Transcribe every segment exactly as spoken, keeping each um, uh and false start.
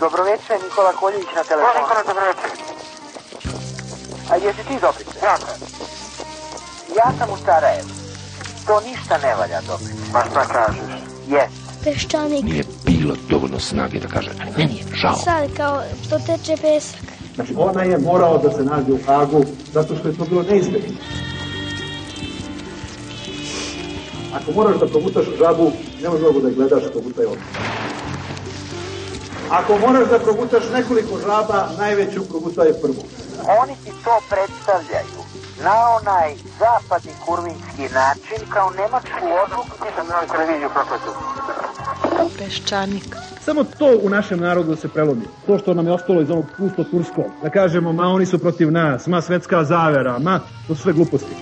Dobroveče, Nikola Koljević na telefonu. Nikola, dobroveče. A jesi ti Dobrice? Ja sam. Ja sam u Sarajevu. To ništa ne valja, Dobrice. Pa šta kažeš? Jes. Peščanik. Nije bilo dovoljno snage da kaže, meni je žao. Sad kao što teče pesak. Znači, ona je morao da se nađe u Hagu zato što je to bilo neizbježno. Ako moraš da progutaš žabu, ne možeš mogu da je gledaš, progutaj odmah. Ako moraš da progutaš nekoliko žaba, najveću progutaj prvu. Oni ti to predstavljaju na onaj zapadni kurvinski način kao nemačku odluku. Ti sam na televiziju prokletu. Peščanik. Samo to u našem narodu se prelomi. To što nam je ostalo iz onog pusto turskog. Da kažemo, ma oni su protiv nas, ma svetska zavera, ma to su sve gluposti.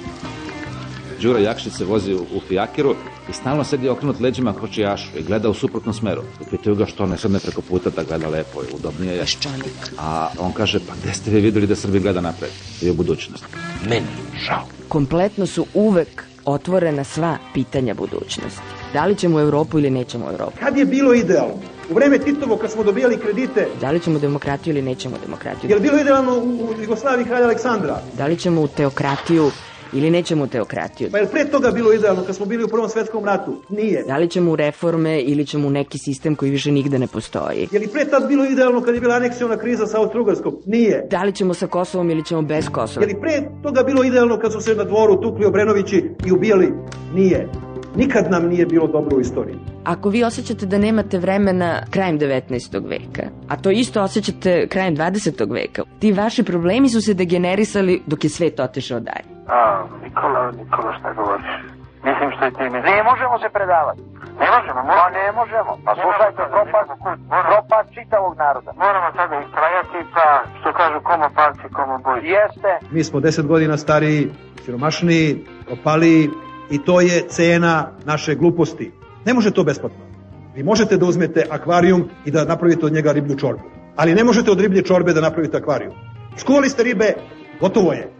Đura Jakšić se vozi u fijakiru i stalno sedi okrenut leđima kočijašu i gleda u suprotnom smeru. I pitaju ga što ne sedne preko puta da gleda lepo i udobnije je. Peščanik. A on kaže, pa gde ste vi videli da Srbi gleda napred i u budućnost? Meni žao. Kompletno su uvek otvorena sva pitanja budućnosti. Da li ćemo u Evropu ili nećemo u Evropu? Kad je bilo idealno? U vreme Titovo kad smo dobijali kredite. Da li ćemo demokratiju ili nećemo demokratiju? Je li bilo idealno u, u Jugoslaviji kralja Aleksandra? Da li ćemo u teokratiju ili nećemo u teokratiju? Pa je li pre toga bilo idealno kad smo bili u Prvom svetskom ratu? Nije. Da li ćemo u reforme ili ćemo u neki sistem koji više nigde ne postoji? Je li pre tad bilo idealno kad je bila aneksiona kriza sa Austro-Ugarskom? Nije. Da li ćemo sa Kosovom ili ćemo bez Kosova? Je li pre toga bilo idealno kad su se na dvoru tukli Obrenovići i ubijali? Nije. Nikad nam nije bilo dobro u istoriji. Ako vi osjećate da nemate vremena krajem devetnaestog veka, a to isto osjećate krajem dvadesetog veka, ti vaši problemi su se degenerisali dok je svet otišao dalje. A, Nikola, Nikola, šta govoriš? Mislim što je ti mislim. Ne možemo se predavati. Ne možemo, Pa ne možemo. Pa slušajte, propad, propad čitavog naroda. Moramo sada istrajati, pa što kažu komo palci, komo boj. Jeste. Mi smo deset godina stariji, siromašniji, opaliji i to je cena naše gluposti. Ne može to besplatno. Vi možete da uzmete akvarijum i da napravite od njega riblju čorbu. Ali ne možete od riblje čorbe da napravite akvarijum. Skuvali ste ribe, gotovo je.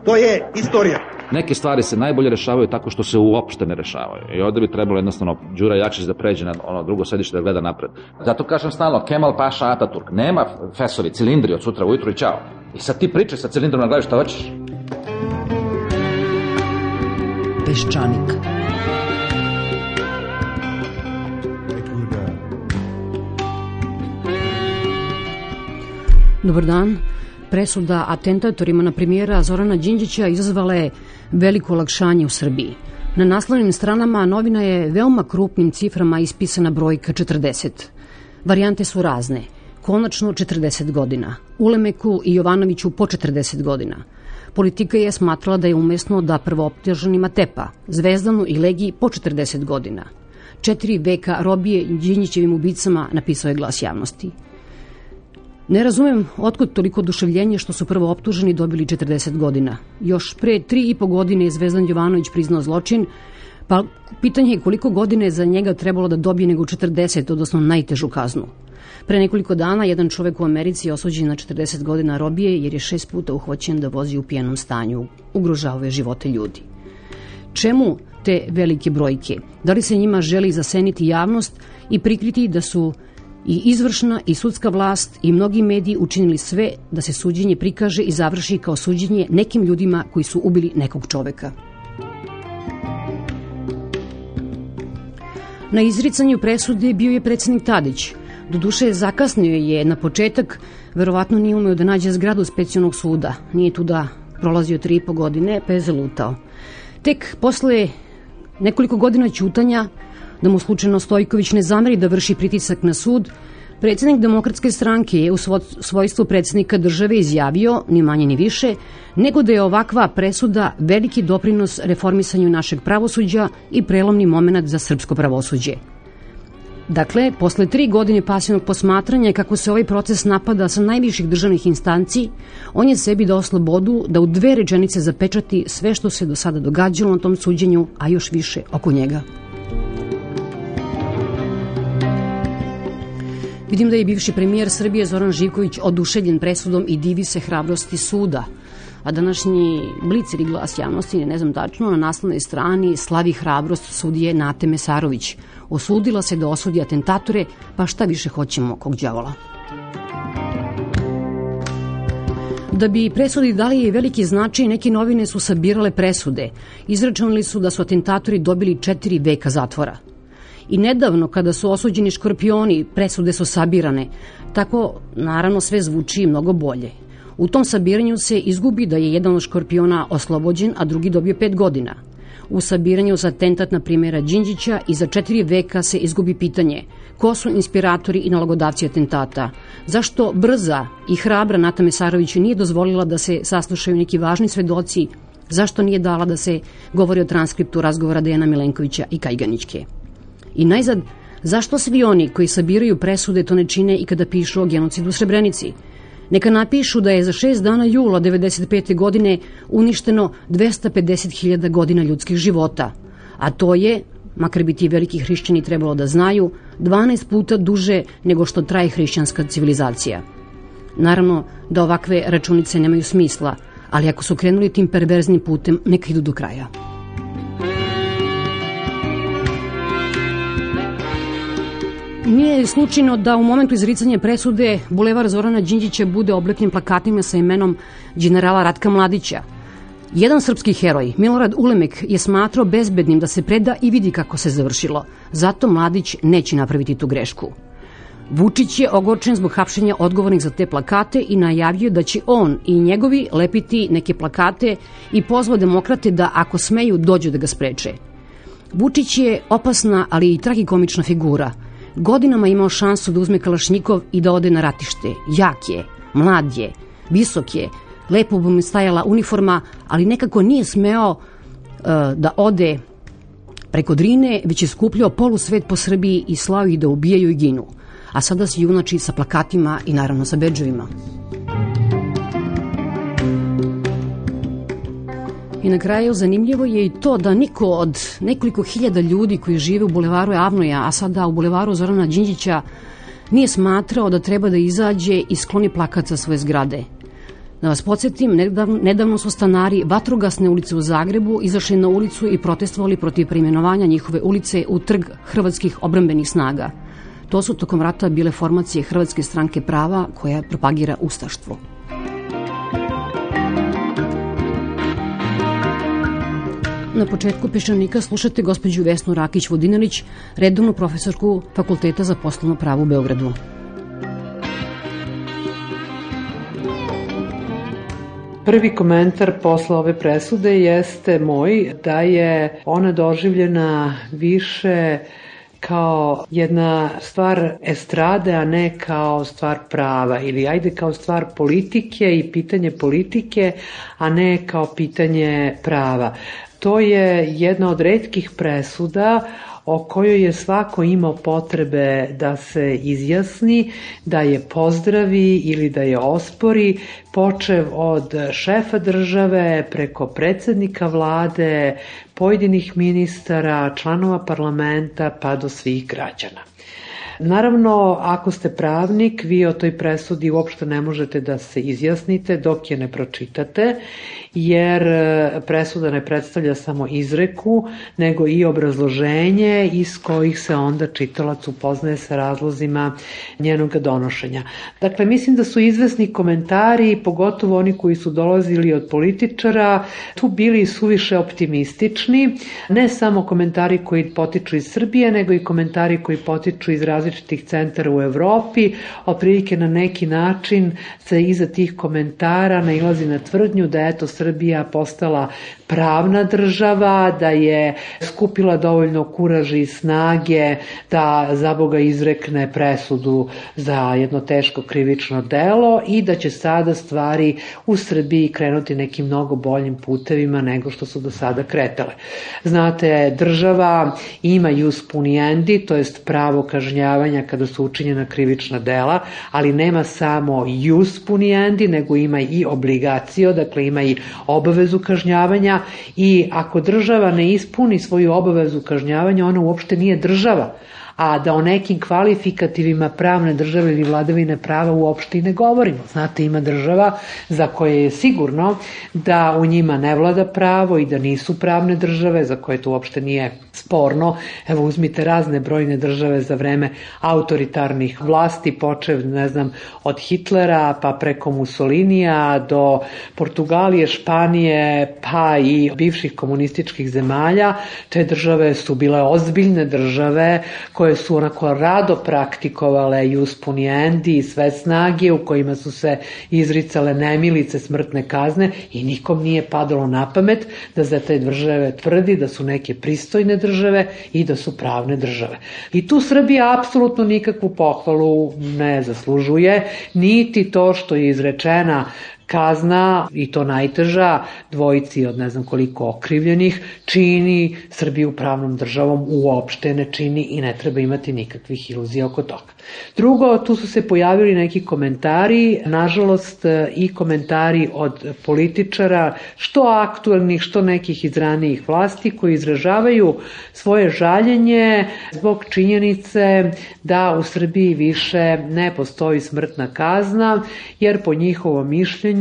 To je istorija. Neke stvari se najbolje rešavaju tako što se uopšte ne rešavaju. I ovde bi trebalo jednostavno Đura Jakšić da pređe na ono drugo sedište da gleda napred. Zato kažem stalno, Kemal Paša Ataturk, nema fesovi, cilindri od sutra ujutru i čao. I sad ti pričaj sa cilindrom na glavi šta hoćeš. Peščanik. Dobar dan. Presuda atentatorima na premijera Zorana Đinđića izazvala je veliko olakšanje u Srbiji. Na naslovnim stranama novina je veoma krupnim ciframa ispisana brojka četrdeset. Varijante su razne. Konačno četrdeset godina. Ulemeku i Jovanoviću po četrdeset godina. Politika je smatrala da je umesno da prvooptuženima Tepa, Zvezdanu i Legiji po četrdeset godina. Četiri veka robije Đinđićevim ubicama, napisao je Glas javnosti. Ne razumem otkud toliko oduševljenje što su prvo optuženi dobili četrdeset godina. Još pre tri i po godine je Zvezdan Jovanović priznao zločin, pa pitanje je koliko godine je za njega trebalo da dobije nego četrdeset, odnosno najtežu kaznu. Pre nekoliko dana jedan čovek u Americi je osuđen na četrdeset godina robije jer je šest puta uhvaćen da vozi u pijanom stanju. Ugrožavao je živote ljudi. Čemu te velike brojke? Da li se njima želi zaseniti javnost i prikriti da su i izvršna i sudska vlast i mnogi mediji učinili sve da se suđenje prikaže i završi kao suđenje nekim ljudima koji su ubili nekog čoveka? Na izricanju presude bio je predsednik Tadić. Doduše, zakasnio je na početak, verovatno nije umeo da nađe zgradu specijalnog suda. Nije tu da prolazio tri i po godine, pa je zalutao. Tek posle nekoliko godina ćutanja, da mu slučajno Stojković ne zameri da vrši pritisak na sud, predsednik Demokratske stranke je u svojstvu predsednika države izjavio, ni manje ni više, nego da je ovakva presuda veliki doprinos reformisanju našeg pravosuđa i prelomni moment za srpsko pravosuđe. Dakle, posle tri godine pasivnog posmatranja kako se ovaj proces napada sa najviših državnih instanci, on je sebi dao slobodu da u dve rečenice zapečati sve što se do sada događalo na tom suđenju, a još više oko njega. Vidim da je bivši premijer Srbije Zoran Živković oduševljen presudom i divi se hrabrosti suda. A današnji Blic ili Glas javnosti, ne znam tačno, na naslovnoj strani slavi hrabrost sudije Nate Mesarović. Osudila se da osudi atentatore, pa šta više hoćemo kog đavola. Da bi presudi dali veliki značaj, neke novine su sabirale presude. Izračunali su da su atentatori dobili četiri veka zatvora. I nedavno, kada su osuđeni škorpioni, presude su sabirane. Tako, naravno, sve zvuči mnogo bolje. U tom sabiranju se izgubi da je jedan od škorpiona oslobođen, a drugi dobio pet godina. U sabiranju za atentat na primjera Đinđića i za četiri veka se izgubi pitanje ko su inspiratori i nalogodavci atentata. Zašto brza i hrabra Nata Mesarović nije dozvolila da se saslušaju neki važni svedoci? Zašto nije dala da se govori o transkriptu razgovora Dejana Milenkovića i Kajganićke? I najzad, zašto svi oni koji sabiraju presude to ne čine i kada pišu o genocidu u Srebrenici? Neka napišu da je za šest dana jula devedeset pete. godine uništeno dvesta pedeset hiljada godina ljudskih života, a to je, makar bi ti veliki hrišćani trebalo da znaju, dvanaest puta duže nego što traje hrišćanska civilizacija. Naravno da ovakve računice nemaju smisla, ali ako su krenuli tim perverznim putem, neka idu do kraja. Nije slučajno da u momentu izricanja presude bulevar Zorana Đinđića bude oblepljen plakatima sa imenom generala Ratka Mladića. Jedan srpski heroj, Milorad Ulemek, je smatrao bezbednim da se preda i vidi kako se završilo. Zato Mladić neće napraviti tu grešku. Vučić je ogorčen zbog hapšenja odgovornih za te plakate i najavio da će on i njegovi lepiti neke plakate i pozvao demokrate da, ako smeju, dođu da ga spreče. Vučić je opasna, ali i tragikomična figura. Godinama imao šansu da uzme kalašnjikov i da ode na ratište. Jak je, mlad je, visok je, lepo bi mu stajala uniforma, ali nekako nije smeo uh, da ode preko Drine, već je skupljao polusvet po Srbiji i slao ih da ubijaju i ginu. A sada se junači sa plakatima i naravno sa bedževima. I na kraju zanimljivo je i to da niko od nekoliko hiljada ljudi koji žive u bulevaru Avnoja, a sada u bulevaru Zorana Đinđića, nije smatrao da treba da izađe i skloni plakat sa svoje zgrade. Da vas podsjetim, nedavno, nedavno su stanari Vatrogasne ulice u Zagrebu izašli na ulicu i protestovali protiv preimenovanja njihove ulice u Trg hrvatskih obrambenih snaga. To su tokom rata bile formacije Hrvatske stranke prava koja propagira ustaštvo. Na početku Peščanika slušate gospođu Vesnu Rakić-Vodinelić, redovnu profesorku Fakulteta za poslovno pravo u Beogradu. Prvi komentar posle ove presude jeste moj da je ona doživljena više kao jedna stvar estrade, a ne kao stvar prava, ili ajde kao stvar politike i pitanje politike, a ne kao pitanje prava. To je jedna od retkih presuda o kojoj je svako imao potrebe da se izjasni, da je pozdravi ili da je ospori, počev od šefa države, preko predsednika vlade, pojedinih ministara, članova parlamenta, pa do svih građana. Naravno, ako ste pravnik, vi o toj presudi uopšte ne možete da se izjasnite dok je ne pročitate, jer presuda ne predstavlja samo izreku, nego i obrazloženje iz kojih se onda čitalac upoznaje sa razlozima njenog donošenja. Dakle, mislim da su izvesni komentari, pogotovo oni koji su dolazili od političara, tu bili suviše optimistični, ne samo komentari koji potiču iz Srbije, nego i komentari koji potiču iz različitih centara u Evropi. Otprilike na neki način se iza tih komentara nailazi na tvrdnju da eto Srbija postala pravna država, da je skupila dovoljno kuraža i snage da za Boga izrekne presudu za jedno teško krivično delo i da će sada stvari u Srbiji krenuti nekim mnogo boljim putevima nego što su do sada kretale. Znate, država ima jus puniendi, to jest pravo kažnjavanja kada su učinjena krivična dela, ali nema samo jus puniendi, nego ima i obligacio, dakle ima i obavezu kažnjavanja, i ako država ne ispuni svoju obavezu kažnjavanja, ona uopšte nije država. a da o nekim kvalifikativima pravne države ili vladavine prava uopšte i ne govorimo. Znate, ima država za koje je sigurno da u njima ne vlada pravo i da nisu pravne države, za koje to uopšte nije sporno. Evo, uzmite razne brojne države za vreme autoritarnih vlasti, počev, ne znam, od Hitlera pa preko Mussolinija do Portugalije, Španije, pa i bivših komunističkih zemalja. Te države su bile ozbiljne države koje su onako rado praktikovale jus puniendi i sve snage u kojima su se izricale nemilice smrtne kazne i nikom nije padalo na pamet da za te države tvrdi da su neke pristojne države i da su pravne države. I tu Srbija apsolutno nikakvu pohvalu ne zaslužuje, niti to što je izrečena kazna, i to najteža, dvojici od ne znam koliko okrivljenih, čini Srbiju pravnom državom, uopšte ne čini i ne treba imati nikakvih iluzija oko toga. Drugo, tu su se pojavili neki komentari, nažalost i komentari od političara, što aktuelnih, što nekih iz ranijih vlasti, koji izražavaju svoje žaljenje zbog činjenice da u Srbiji više ne postoji smrtna kazna, jer po njihovom mišljenju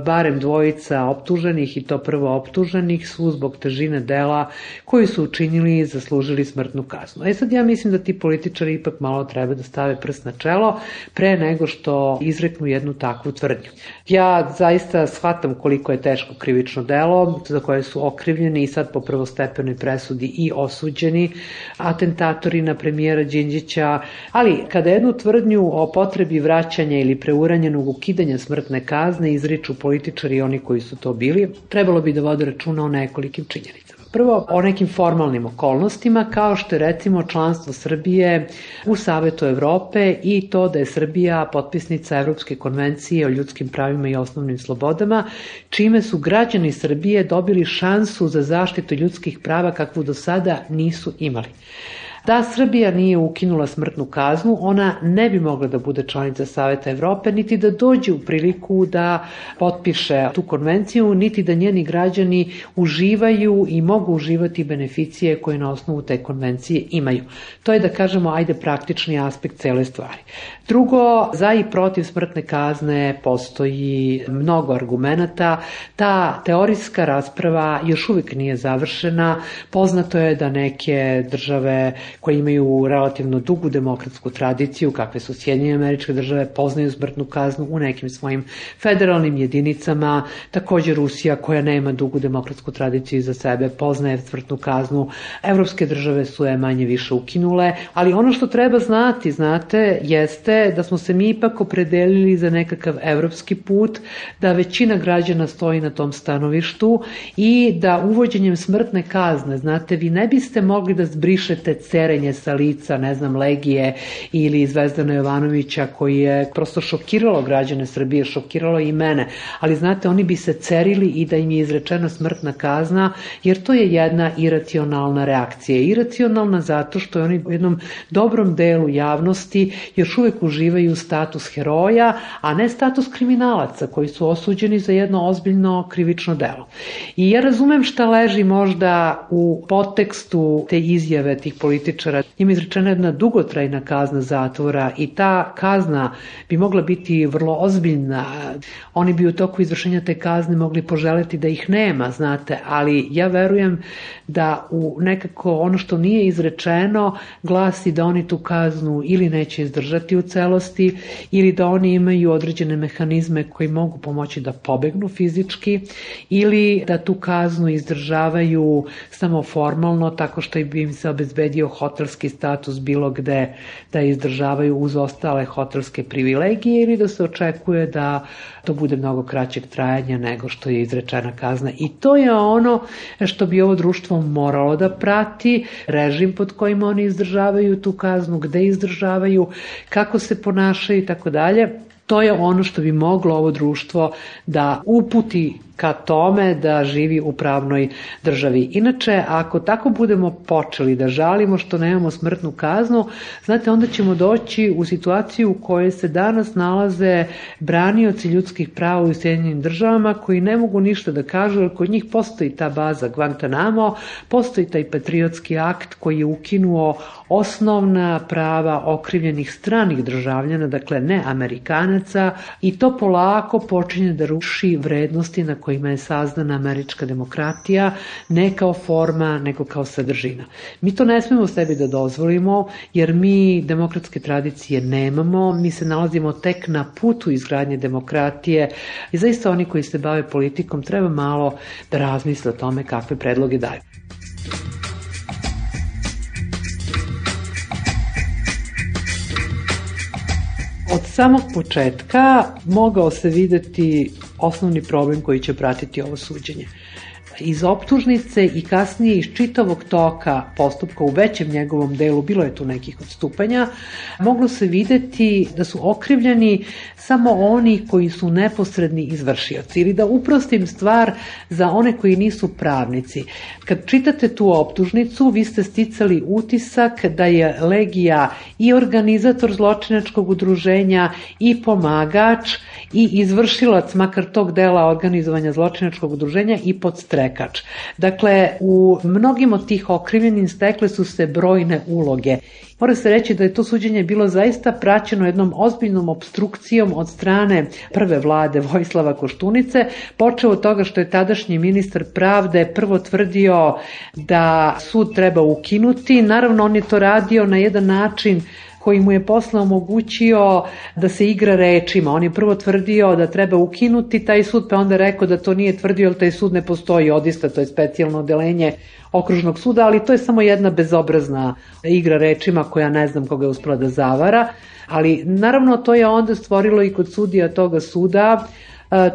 barem dvojica optuženih, i to prvo optuženih, su zbog težine dela koji su učinili i zaslužili smrtnu kaznu. E sad ja mislim da ti političari ipak malo treba da stave prst na čelo pre nego što izreknu jednu takvu tvrdnju. Ja zaista shvatam koliko je teško krivično delo za koje su okrivljeni i sad po prvostepenoj presudi i osuđeni atentatori na premijera Đinđića, ali kada jednu tvrdnju o potrebi vraćanja ili preuranjenog ukidanja smrtne kazne izriču političari i oni koji su to bili, trebalo bi da vode računa o nekolikim činjenicama. Prvo, o nekim formalnim okolnostima, kao što je recimo članstvo Srbije u Savetu Evrope i to da je Srbija potpisnica Evropske konvencije o ljudskim pravima i osnovnim slobodama, čime su građani Srbije dobili šansu za zaštitu ljudskih prava kakvu do sada nisu imali. Da Srbija nije ukinula smrtnu kaznu, ona ne bi mogla da bude članica Saveta Evrope, niti da dođe u priliku da potpiše tu konvenciju, niti da njeni građani uživaju i mogu uživati beneficije koje na osnovu te konvencije imaju. To je, da kažemo, ajde praktični aspekt cele stvari. Drugo, za i protiv smrtne kazne postoji mnogo argumenata. Ta teorijska rasprava još uvijek nije završena. Poznato je da neke države koje imaju relativno dugu demokratsku tradiciju, kakve su Sjedinjene Američke Države, poznaju smrtnu kaznu u nekim svojim federalnim jedinicama. Također Rusija, koja nema dugu demokratsku tradiciju iza sebe, poznaje smrtnu kaznu. Evropske države su je manje više ukinule, ali ono što treba znati, znate, jeste da smo se mi ipak opredelili za nekakav evropski put, da većina građana stoji na tom stanovištu i da uvođenjem smrtne kazne, znate, vi ne biste mogli da zbrišete cerenje sa lica, ne znam, Legije ili Zvezdana Jovanovića, koji je prosto šokiralo građane Srbije, šokiralo i mene, ali znate, oni bi se cerili i da im je izrečena smrtna kazna, jer to je jedna iracionalna reakcija. Iracionalna zato što oni u jednom dobrom delu javnosti još uvek uživaju status heroja, a ne status kriminalaca koji su osuđeni za jedno ozbiljno krivično delo. I ja razumem šta leži možda u podtekstu te izjave tih političara. Ima izrečena jedna dugotrajna kazna zatvora i ta kazna bi mogla biti vrlo ozbiljna. Oni bi u toku izvršenja te kazne mogli poželeti da ih nema, znate, ali ja verujem da u nekako ono što nije izrečeno glasi da oni tu kaznu ili neće izdržati u celosti ili da oni imaju određene mehanizme koji mogu pomoći da pobegnu fizički ili da tu kaznu izdržavaju samo formalno tako što bi im se obezbedio hotelski status bilo gde da izdržavaju uz ostale hotelske privilegije ili da se očekuje da to bude mnogo kraćeg trajanja nego što je izrečena kazna. I to je ono što bi ovo društvo moralo da prati, režim pod kojim oni izdržavaju tu kaznu, gde izdržavaju, kako se ponašaju i tako dalje. To je ono što bi moglo ovo društvo da uputi ka tome da živi u pravnoj državi. Inače, ako tako budemo počeli da žalimo što nemamo smrtnu kaznu, znate, onda ćemo doći u situaciju u kojoj se danas nalaze branioci ljudskih prava u Sjedinjenim državama koji ne mogu ništa da kažu, jer kod njih postoji ta baza Guantanamo, postoji taj patriotski akt koji je ukinuo osnovna prava okrivljenih stranih državljana, dakle ne Amerikanaca, i to polako počinje da ruši vrednosti na kojima je sazdana američka demokratija, ne kao forma, nego kao sadržina. Mi to ne smemo sebi da dozvolimo, jer mi demokratske tradicije nemamo, mi se nalazimo tek na putu izgradnje demokratije i zaista oni koji se bave politikom treba malo da razmisle o tome kakve predloge daju. Od samog početka mogao se videti osnovni problem koji će pratiti ovo suđenje. Iz optužnice i kasnije iz čitavog toka postupka u većem njegovom delu, bilo je tu nekih odstupanja, moglo se videti da su okrivljeni samo oni koji su neposredni izvršioci, ili da uprostim stvar za one koji nisu pravnici. Kad čitate tu optužnicu, vi ste sticali utisak da je Legija i organizator zločinačkog udruženja i pomagač i izvršilac makar tog dela organizovanja zločinačkog udruženja i podstrekač. Dakle, u mnogim od tih okrivljenih stekle su se brojne uloge. Mora se reći da je to suđenje bilo zaista praćeno jednom ozbiljnom opstrukcijom od strane prve vlade Vojislava Koštunice, počeo od toga što je tadašnji ministar pravde prvo tvrdio da sud treba ukinuti. Naravno, on je to radio na jedan način koji mu je posle omogućio da se igra rečima. On je prvo tvrdio da treba ukinuti taj sud, pa onda rekao da to nije tvrdio, jer taj sud ne postoji, odista, to je specijalno odeljenje okružnog suda, ali to je samo jedna bezobrazna igra rečima koja ne znam koga je uspela da zavara, ali naravno to je onda stvorilo i kod sudija toga suda,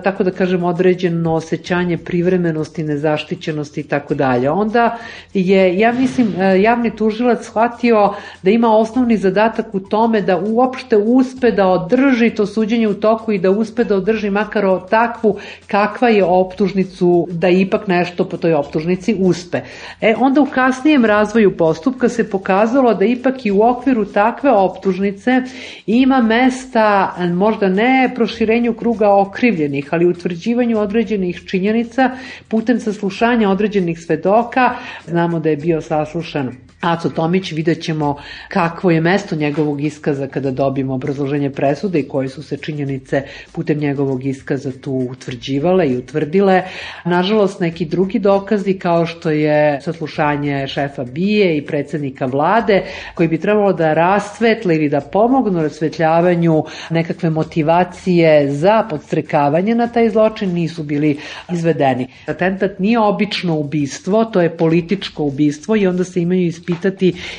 tako da kažem, određeno osjećanje privremenosti, nezaštićenosti i tako dalje. Onda je, ja mislim, javni tužilac shvatio da ima osnovni zadatak u tome da uopšte uspe da održi to suđenje u toku i da uspe da održi makar takvu kakva je optužnicu, da ipak nešto po toj optužnici uspe. E, onda u kasnijem razvoju postupka se pokazalo da ipak i u okviru takve optužnice ima mesta, možda ne proširenju kruga okrivljenih, ali utvrđivanju određenih činjenica putem saslušanja određenih svedoka. Znamo da je bio saslušan Aco Tomić, vidjet ćemo kakvo je mesto njegovog iskaza kada dobijemo obrazloženje presude i koje su se činjenice putem njegovog iskaza tu utvrđivale i utvrdile. Nažalost, neki drugi dokazi kao što je saslušanje šefa B I A i predsjednika vlade, koji bi trebalo da rasvetle ili da pomognu rasvetljavanju nekakve motivacije za podstrekavanje na taj zločin, nisu bili izvedeni. Atentat nije obično ubistvo, to je političko ubistvo i onda se imaju ispitati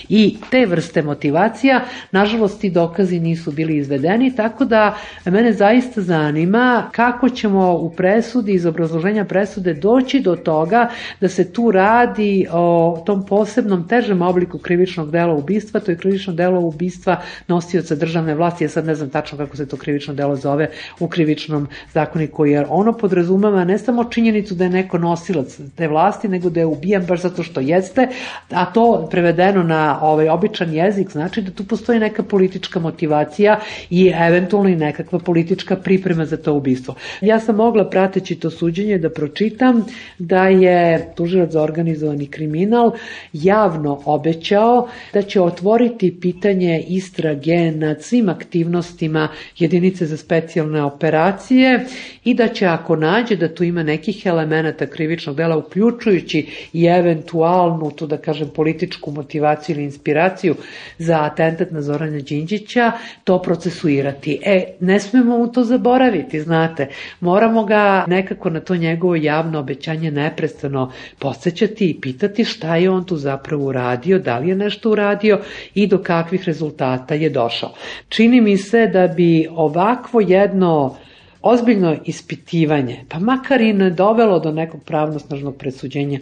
i te vrste motivacija. Nažalost, ti dokazi nisu bili izvedeni, tako da mene zaista zanima kako ćemo u presudi, iz obrazloženja presude, doći do toga da se tu radi o tom posebnom težem obliku krivičnog dela ubistva. To je krivično delo ubistva nosioca državne vlasti. Ja sad ne znam tačno kako se to krivično delo zove u krivičnom zakoniku, jer ono podrazumeva ne samo činjenicu da je neko nosilac te vlasti, nego da je ubijan baš zato što jeste, a to prevedeno na ovaj običan jezik znači da tu postoji neka politička motivacija i eventualno i nekakva politička priprema za to ubistvo. Ja sam mogla, prateći to suđenje, da pročitam da je tužilac za organizovani kriminal javno obećao da će otvoriti pitanje istrage nad svim aktivnostima jedinice za specijalne operacije i da će, ako nađe da tu ima nekih elemenata krivičnog dela, uključujući i eventualnu, tu da kažem, političku motivaciju ili inspiraciju za atentat na Zorana Đinđića, to procesuirati. E, ne smemo mu to zaboraviti, znate. Moramo ga nekako na to njegovo javno obećanje neprestano podsjećati i pitati šta je on tu zapravo uradio, da li je nešto uradio i do kakvih rezultata je došao. Čini mi se da bi ovakvo jedno ozbiljno ispitivanje, pa makar i ne dovelo do nekog pravnosnažnog presuđenja,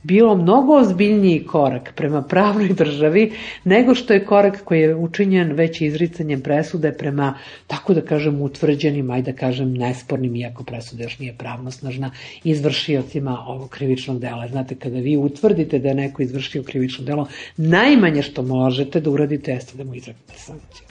bilo mnogo ozbiljniji korak prema pravnoj državi nego što je korak koji je učinjen već izricanjem presude prema, tako da kažem, utvrđenim, ajde da kažem, nespornim, iako presuda još nije pravnosnažna, izvršiocima ovog krivičnog dela. Znate, kada vi utvrdite da je neko izvršio krivično delo, najmanje što možete da uradite jeste da mu izreknete sankciju.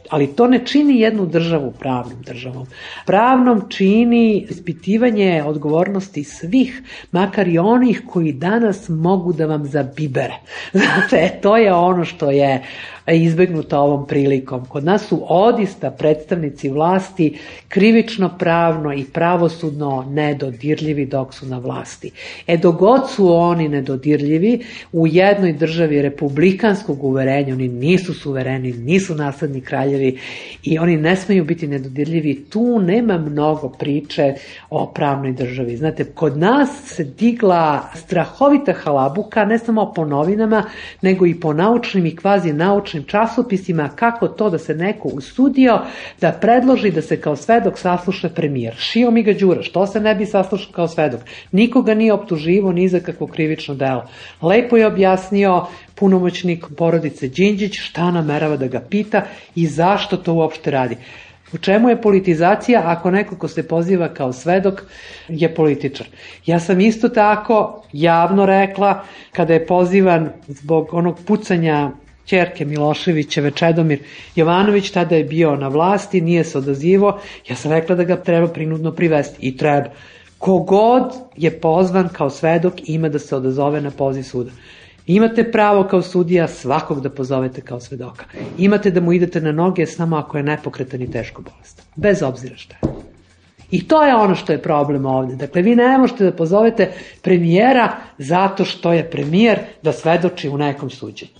Ali to ne čini jednu državu pravnom državom. Pravnom čini ispitivanje odgovornosti svih, makar i onih koji danas mogu da vam zabibere. Znate, to je ono što je izbegnuto ovom prilikom. Kod nas su odista predstavnici vlasti krivično pravno i pravosudno nedodirljivi dok su na vlasti. E dogod su oni nedodirljivi, u jednoj državi republikanskog uverenja, oni nisu suvereni, nisu nasledni kraljevi i oni ne smeju biti nedodirljivi, tu nema mnogo priče o pravnoj državi. Znate, kod nas se digla strahovita halabuka, ne samo po novinama, nego i po naučnim i kvazi naučnim časopisima, kako to da se neko usudio da predloži da se kao svedok sasluša premijer. Šio mi ga Đura, što se ne bi saslušao kao svedok? Nikoga nije optuživo ni za kakvo krivično delo. Lepo je objasnio punomoćnik porodice Đinđić šta namerava da ga pita i zašto to uopšte radi. U čemu je politizacija ako neko ko se poziva kao svedok je političar? Ja sam isto tako javno rekla kada je pozivan zbog onog pucanja ćerke Miloševićeve, Čedomir Jovanović, tada je bio na vlasti, nije se odazivo, ja sam rekla da ga treba prinudno privesti i treba. Kogod je pozvan kao svedok ima da se odazove na poziv suda. Imate pravo kao sudija svakog da pozovete kao svedoka. Imate da mu idete na noge samo ako je nepokretan i teško bolestan. Bez obzira šta je. I to je ono što je problem ovde. Dakle, vi ne možete da pozovete premijera zato što je premijer da svedoči u nekom suđenju.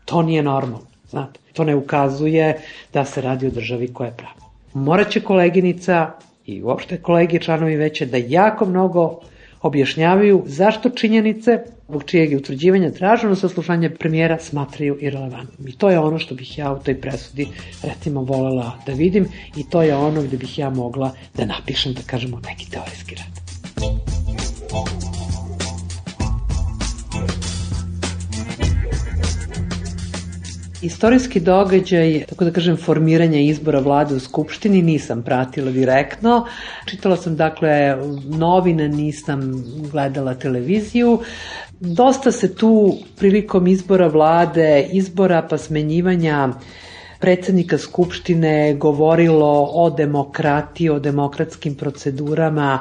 To nije normalno, znate. To ne ukazuje da se radi o državi koja je prava. Morat će koleginica i uopšte kolegi članovi veće da jako mnogo objašnjavaju zašto činjenice zbog čijeg je utvrđivanja traženo saslušanje premijera smatraju irelevantnim. I to je ono što bih ja u toj presudi recimo volela da vidim i to je ono gde bih ja mogla da napišem, da kažemo, neki teorijski rad. Istorijski događaj, tako da kažem, formiranja izbora vlade u Skupštini nisam pratila direktno. Čitala sam, dakle, novine, nisam gledala televiziju. Dosta se tu prilikom izbora vlade, izbora pa smenjivanja predsednika Skupštine govorilo o demokratiji, o demokratskim procedurama.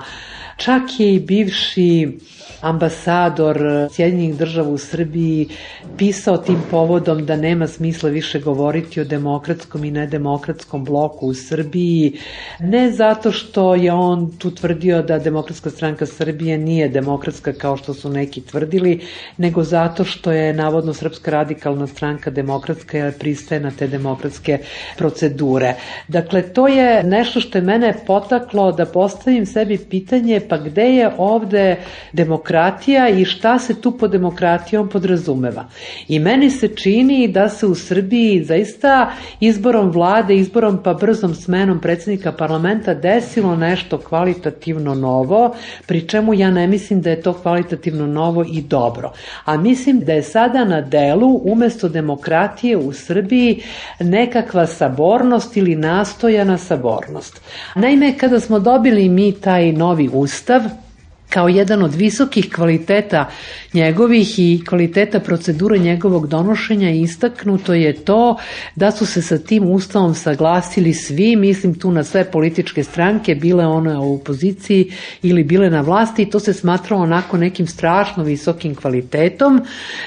Čak je i bivši ambasador Sjedinjenih država u Srbiji pisao tim povodom da nema smisla više govoriti o demokratskom i nedemokratskom bloku u Srbiji, ne zato što je on tu tvrdio da Demokratska stranka Srbije nije demokratska kao što su neki tvrdili, nego zato što je navodno Srpska radikalna stranka demokratska jer pristaje na te demokratske procedure. Dakle, to je nešto što je mene potaklo da postavim sebi pitanje pa gde je ovde demokratija i šta se tu pod demokratijom podrazumeva. I meni se čini da se u Srbiji zaista izborom vlade, izborom pa brzom smenom predsjednika parlamenta desilo nešto kvalitativno novo, pri čemu ja ne mislim da je to kvalitativno novo i dobro. A mislim da je sada na delu umesto demokratije u Srbiji nekakva sabornost ili nastojana sabornost. Naime, kada smo dobili mi taj novi ustav, kao jedan od visokih kvaliteta njegovih i kvaliteta procedure njegovog donošenja istaknuto je to da su se sa tim ustavom saglasili svi, mislim tu na sve političke stranke, bile one u opoziciji ili bile na vlasti i to se smatralo onako nekim strašno visokim kvalitetom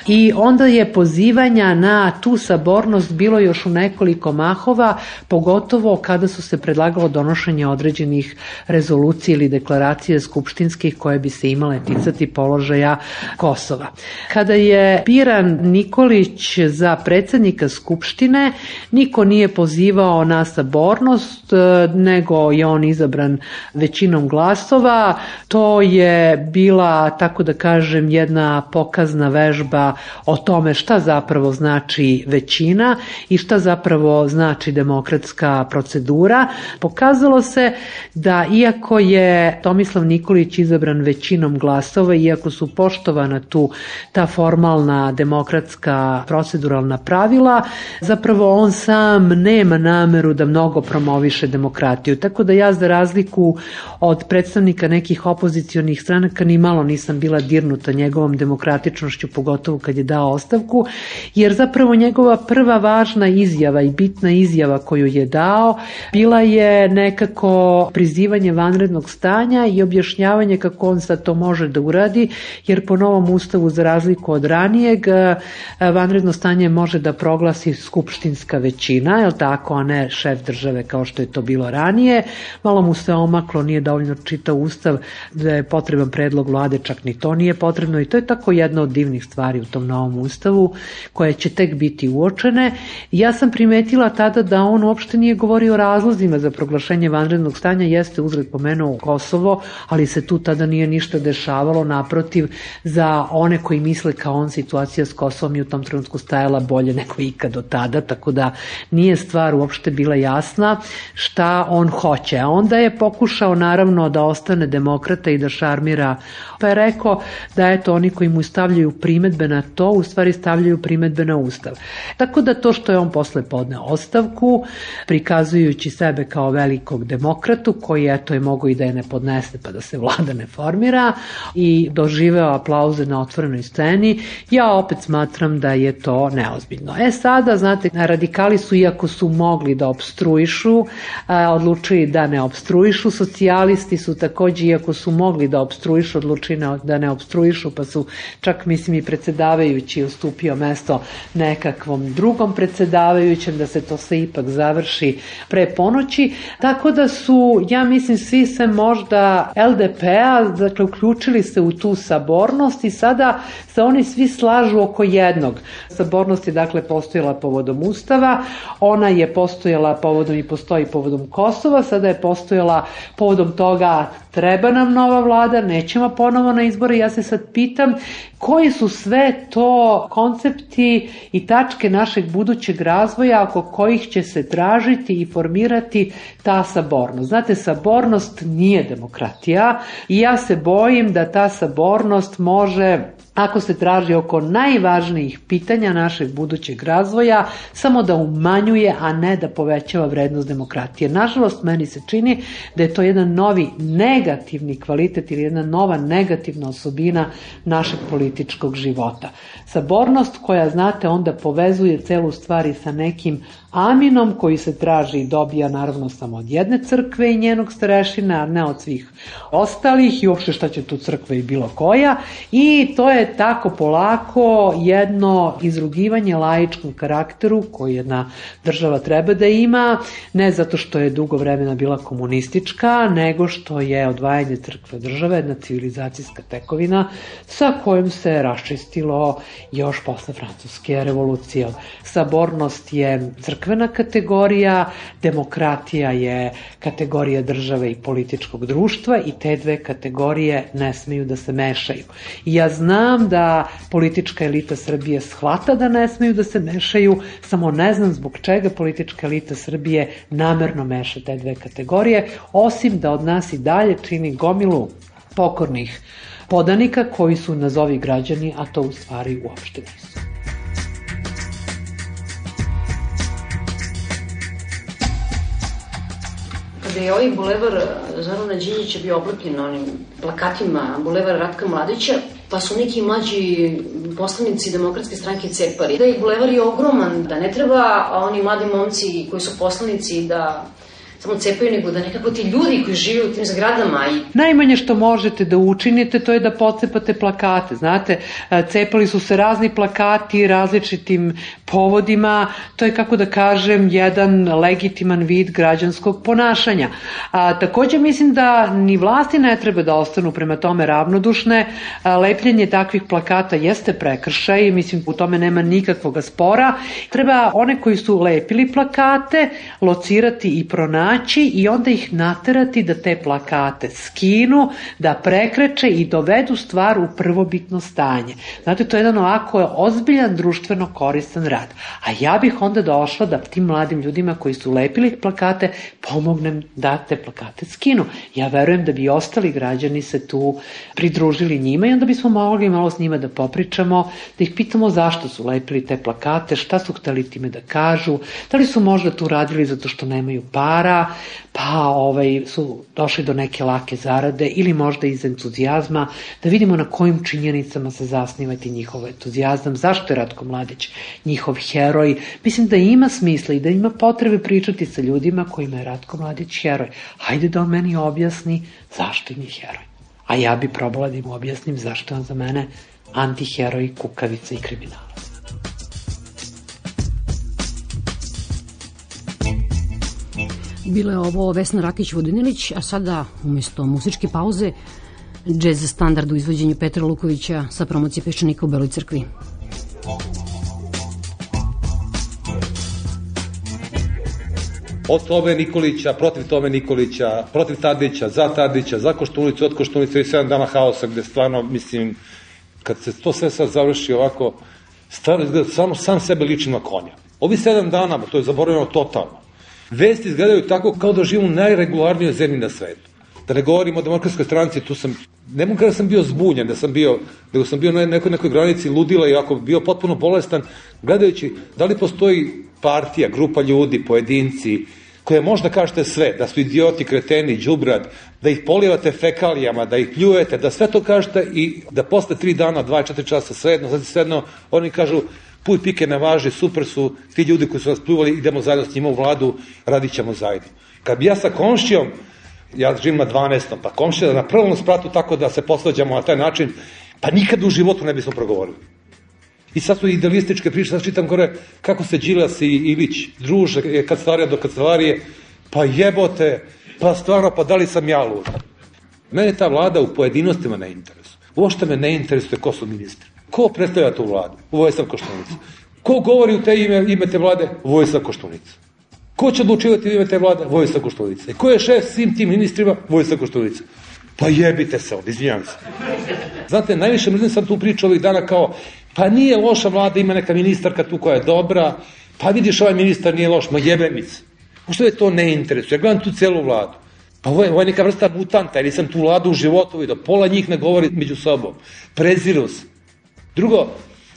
i onda je pozivanja na tu sabornost bilo još u nekoliko mahova, pogotovo kada su se predlagalo donošenje određenih rezolucija ili deklaracije skupštinskih koje koje bi se imale ticati položaja Kosova. Kada je biran Nikolić za predsjednika Skupštine, niko nije pozivao na sabornost, nego je on izabran većinom glasova. To je bila, tako da kažem, jedna pokazna vežba o tome šta zapravo znači većina i šta zapravo znači demokratska procedura. Pokazalo se da iako je Tomislav Nikolić izabran većinom glasova, iako su poštovana tu ta formalna demokratska proceduralna pravila, zapravo on sam nema nameru da mnogo promoviše demokratiju. Tako da ja za razliku od predstavnika nekih opozicionih stranaka ni malo nisam bila dirnuta njegovom demokratičnošću, pogotovo kad je dao ostavku, jer zapravo njegova prva važna izjava i bitna izjava koju je dao bila je nekako prizivanje vanrednog stanja i objašnjavanje kako on sad to može da uradi, jer po novom ustavu, za razliku od ranijeg, vanredno stanje može da proglasi skupštinska većina, je li tako, a ne šef države kao što je to bilo ranije. Malo mu se omaklo, nije dovoljno čitao ustav, da je potreban predlog vlade, čak ni to nije potrebno, i to je tako jedna od divnih stvari u tom novom ustavu koje će tek biti uočene. Ja sam primetila tada da on uopšte nije govorio o razlozima za proglašenje vanrednog stanja, jeste uzred pomenuo Kosovo, ali se tu tada nije ništa dešavalo, naprotiv, za one koji misle kao on, situacija s Kosovom je u tom trenutku stajala bolje nego ikad do tada, tako da nije stvar uopšte bila jasna šta on hoće. A onda je pokušao naravno da ostane demokrata i da šarmira, pa je rekao da eto oni koji mu stavljaju primetbe na to, u stvari stavljaju primetbe na ustav. Tako da to što je on posle podneo ostavku, prikazujući sebe kao velikog demokratu, koji eto je mogo i da je ne podnese pa da se vlada ne formira, i doživeo aplauze na otvorenoj sceni, ja opet smatram da je to neozbiljno. E sada, znate, radikali su, iako su mogli da opstruišu, odlučili da ne opstruišu, socijalisti su takođe, iako su mogli da opstruišu, odlučili da ne opstruišu, pa su čak, mislim, i predsjedavajući ustupio mesto nekakvom drugom predsjedavajućem, da se to sve ipak završi pre ponoći, tako da su, ja mislim, svi se možda el de pe-a, dakle, uključili se u tu sabornost i sada se oni svi slažu oko jednog. Sabornost je, dakle, postojala povodom Ustava, ona je postojala povodom i postoji povodom Kosova, sada je postojala povodom toga treba nam nova vlada, nećemo ponovo na izbore. Ja se sad pitam koji su sve to koncepti i tačke našeg budućeg razvoja oko kojih će se tražiti i formirati ta sabornost. Znate, sabornost nije demokratija i ja se bojim da ta sabornost može, ako se traži oko najvažnijih pitanja našeg budućeg razvoja, samo da umanjuje, a ne da povećava vrednost demokratije. Nažalost, meni se čini da je to jedan novi negativni kvalitet ili jedna nova negativna osobina našeg političkog života. Sabornost koja, znate, onda povezuje celu stvari sa nekim aminom koji se traži i dobija naravno samo od jedne crkve i njenog starešina, a ne od svih ostalih, i uopšte šta će tu crkva i bilo koja, i to je tako polako jedno izrugivanje laičkom karakteru koji jedna država treba da ima, ne zato što je dugo vremena bila komunistička, nego što je odvajanje crkve države jedna civilizacijska tekovina sa kojom se raščistilo još posle Francuske revolucije. Sabornost je crkvena kategorija, demokratija je kategorija države i političkog društva i te dve kategorije ne smeju da se mešaju. I ja znam da politička elita Srbije shvata da ne smeju da se mešaju, samo ne znam zbog čega politička elita Srbije namerno meša te dve kategorije, osim da od nas i dalje čini gomilu pokornih podanika koji su nazovi građani, a to u stvari uopšte nisu. Kada je ovaj bulevar Zorana Đinđića bio oblepljen onim plakatima bulevar Ratka Mladića, pa su neki mlađi poslanici Demokratske stranke cepali. Da je bulevar je ogroman, da ne treba oni mladi momci koji su poslanici da samo cepaju, nego da nekako ti ljudi koji žive u tim zgradama i... Najmanje što možete da učinite to je da pocepate plakate, znate, cepali su se razni plakati različitim povodima, to je, kako da kažem, jedan legitiman vid građanskog ponašanja. A, takođe mislim da ni vlasti ne treba da ostanu prema tome ravnodušne. A, lepljenje takvih plakata jeste prekršaj, mislim u tome nema nikakvog spora. Treba one koji su lepili plakate locirati i pronaći i onda ih naterati da te plakate skinu, da prekreče i dovedu stvar u prvobitno stanje. Znate, to je jedan ovako ozbiljan društveno koristan rad. A ja bih onda došla da tim mladim ljudima koji su lepili plakate pomognem da te plakate skinu. Ja verujem da bi ostali građani se tu pridružili njima i onda bismo mogli malo s njima da popričamo, da ih pitamo zašto su lepili te plakate, šta su hteli time da kažu, da li su možda tu radili zato što nemaju para, pa ovaj, su došli do neke lake zarade ili možda iz entuzijazma, da vidimo na kojim činjenicama se zasnivati njihov entuzijazam, zašto je Ratko Mladić njihov heroj. Mislim da ima smisla i da ima potrebe pričati sa ljudima kojima je Ratko Mladić heroj. Hajde da on meni objasni zašto je mi heroj. A ja bi probala da im objasnim zašto je on za mene antiheroj, kukavica i kriminalac. Bila je ovo Vesna Rakić-Vodinilić, a sada umjesto muzičke pauze džez standard u izvođenju Petra Lukovića sa promocije Peščanika u Beloj Crkvi. Od Tome Nikolića, protiv Tome Nikolića, protiv Tadića, za Tadića, za Koštunicu, od Koštunice i sedam dana haosa, gde stvarno, mislim, kad se to sve sad završi ovako, stvarno izgleda samo sam sebe liči na konja. Ovi sedam dana, to je zaboravljeno totalno. Vesti izgledaju tako kao da živim u najregularnijoj zemlji na svetu. Da ne govorim o Demokratskoj stranci, tu sam, ne mogu kada sam bio zbunjen, da sam bio, nego sam bio na nekoj, nekoj granici ludila i ako bio potpuno bolestan, gledajući da li postoji partija, grupa ljudi, pojedinci, koje možda kažete sve, da su idioti, kreteni, đubrad, da ih polivate fekalijama, da ih pljujete, da sve to kažete i da posle tri dana, dva, četiri časa, svejedno, znači svejedno, oni kažu, puj pike ne važi, super su ti ljudi koji su nas pljuvali, idemo zajedno s njima u vladu, radit ćemo zajedno. Kad bi ja sa komšijom, ja živim na dvanaestom, pa komšija na prvom spratu tako da se posvađamo na taj način, pa nikad u životu ne bismo progovorili. I sad su idealističke priče, sad čitam gore kako se Đilas i Ilić druže, kancelarija do kancelarije, pa jebote, pa stvarno, pa da li sam ja lud? Mene ta vlada u pojedinostima ne interesuje. Uopšte me ne interesuje ko su ministri. Ko predstavlja tu vladu? Vojislav Koštunica. Ko govori u te ime, ime te vlade? Vojislav Koštunica. Ko će odlučivati u ime te vlade? Vojislav Koštunica. I ko je šef svim tim ministrima? Vojislav Koštunica. Pa jebite se ovdje, izvinjam se. Znate, najviše mrzim sam tu priču ovih dana kao, pa nije loša vlada, ima neka ministarka tu koja je dobra, pa vidiš ovaj ministar nije loš, ma jebemic. Ušto je to ne interesuje? Ja gledam tu celu vladu. Pa ovo je, ovo je neka vrsta mutanta, jer nisam tu vladu u životu vidio. Pola njih ne govori među sobom. Preziru se. Drugo,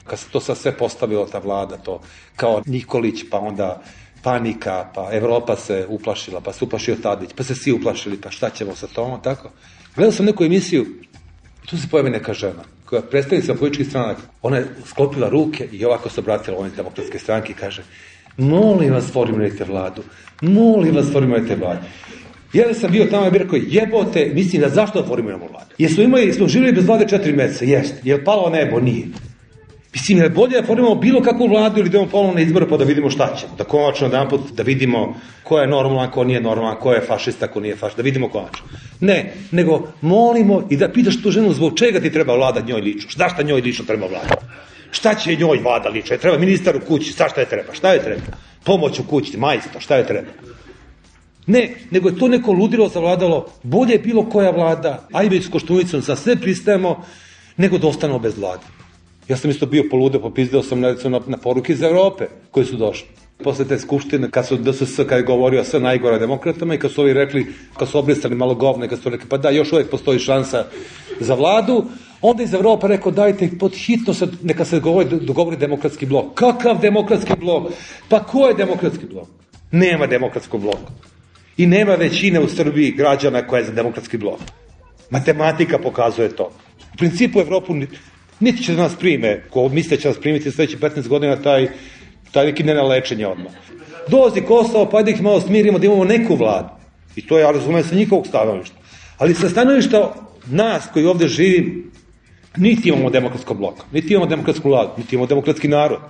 kad se to sad sve postavilo, ta vlada, to kao Nikolić, pa onda panika, pa Evropa se uplašila, pa se uplašio Tadić, pa se svi uplašili, pa šta ćemo sa tom, tako. Gledao sam neku emisiju, tu se pojavi neka žena, koja predstavnica političkih stranaka, ona je sklopila ruke i ovako se obratila ovoj Demokratske stranke i kaže, molim vas formirajte vladu, molim vas formirajte vladu. Ja sam bio tamo i bih rekao, jebote, mislim da zašto formiramo vladu? Jesmo imali, smo živjeli bez vlade četiri meseca, jeste. Je li palo nebo? Nije. Mislim, je bolje da formiramo bilo kakvu vladu ili idemo ponovno na izbore pa da vidimo šta ćemo. Da konačno jedan put da vidimo ko je normalan, ko nije normalan, ko je fašista, ko nije fašista, da vidimo konačno. Ne, nego molimo i da pitaš tu ženu zbog čega ti treba vlada njoj lično. Šta šta njoj lično treba vlada? Šta će njoj vlada lično? Treba ministar u kući, šta šta je treba? Šta je treba? Pomoć u kući, majstor, šta je treba? Ne, nego je to neko ludilo zavladalo, bolje je bilo koja vlada, ajde s Koštunicom, sa sve pristajemo, nego da ostanemo bez vlade. Ja sam isto bio poludeo, popizdeo sam na, na poruke iz Evrope koji su došli. Posle te skupštine, kad su D S S, kad je govorio sve najgore demokratama i kad su ovi rekli, kad su obrisali malo govne, kad su rekli, pa da, još uvijek postoji šansa za vladu, onda iz Evropa rekao, dajte, pod hitno se, neka se govori, dogovori demokratski blok. Kakav demokratski blok? Pa ko je demokratski blok? Nema demokratskog bloka. I nema većine u Srbiji građana koja je za demokratski blok. Matematika pokazuje to. U principu Evropu niti će da nas prime, ko misle će nas primiti sledeći petnaest godina, taj, taj neki ne na lečenje odmah. Dolazi Kosovo, pa da ih malo smirimo, da imamo neku vladu. I to ja razumem sa njihovog stanovišta. Ali sa stanovišta nas koji ovde živim, niti imamo demokratskog bloka, niti imamo demokratsku vladu, niti imamo demokratski narod.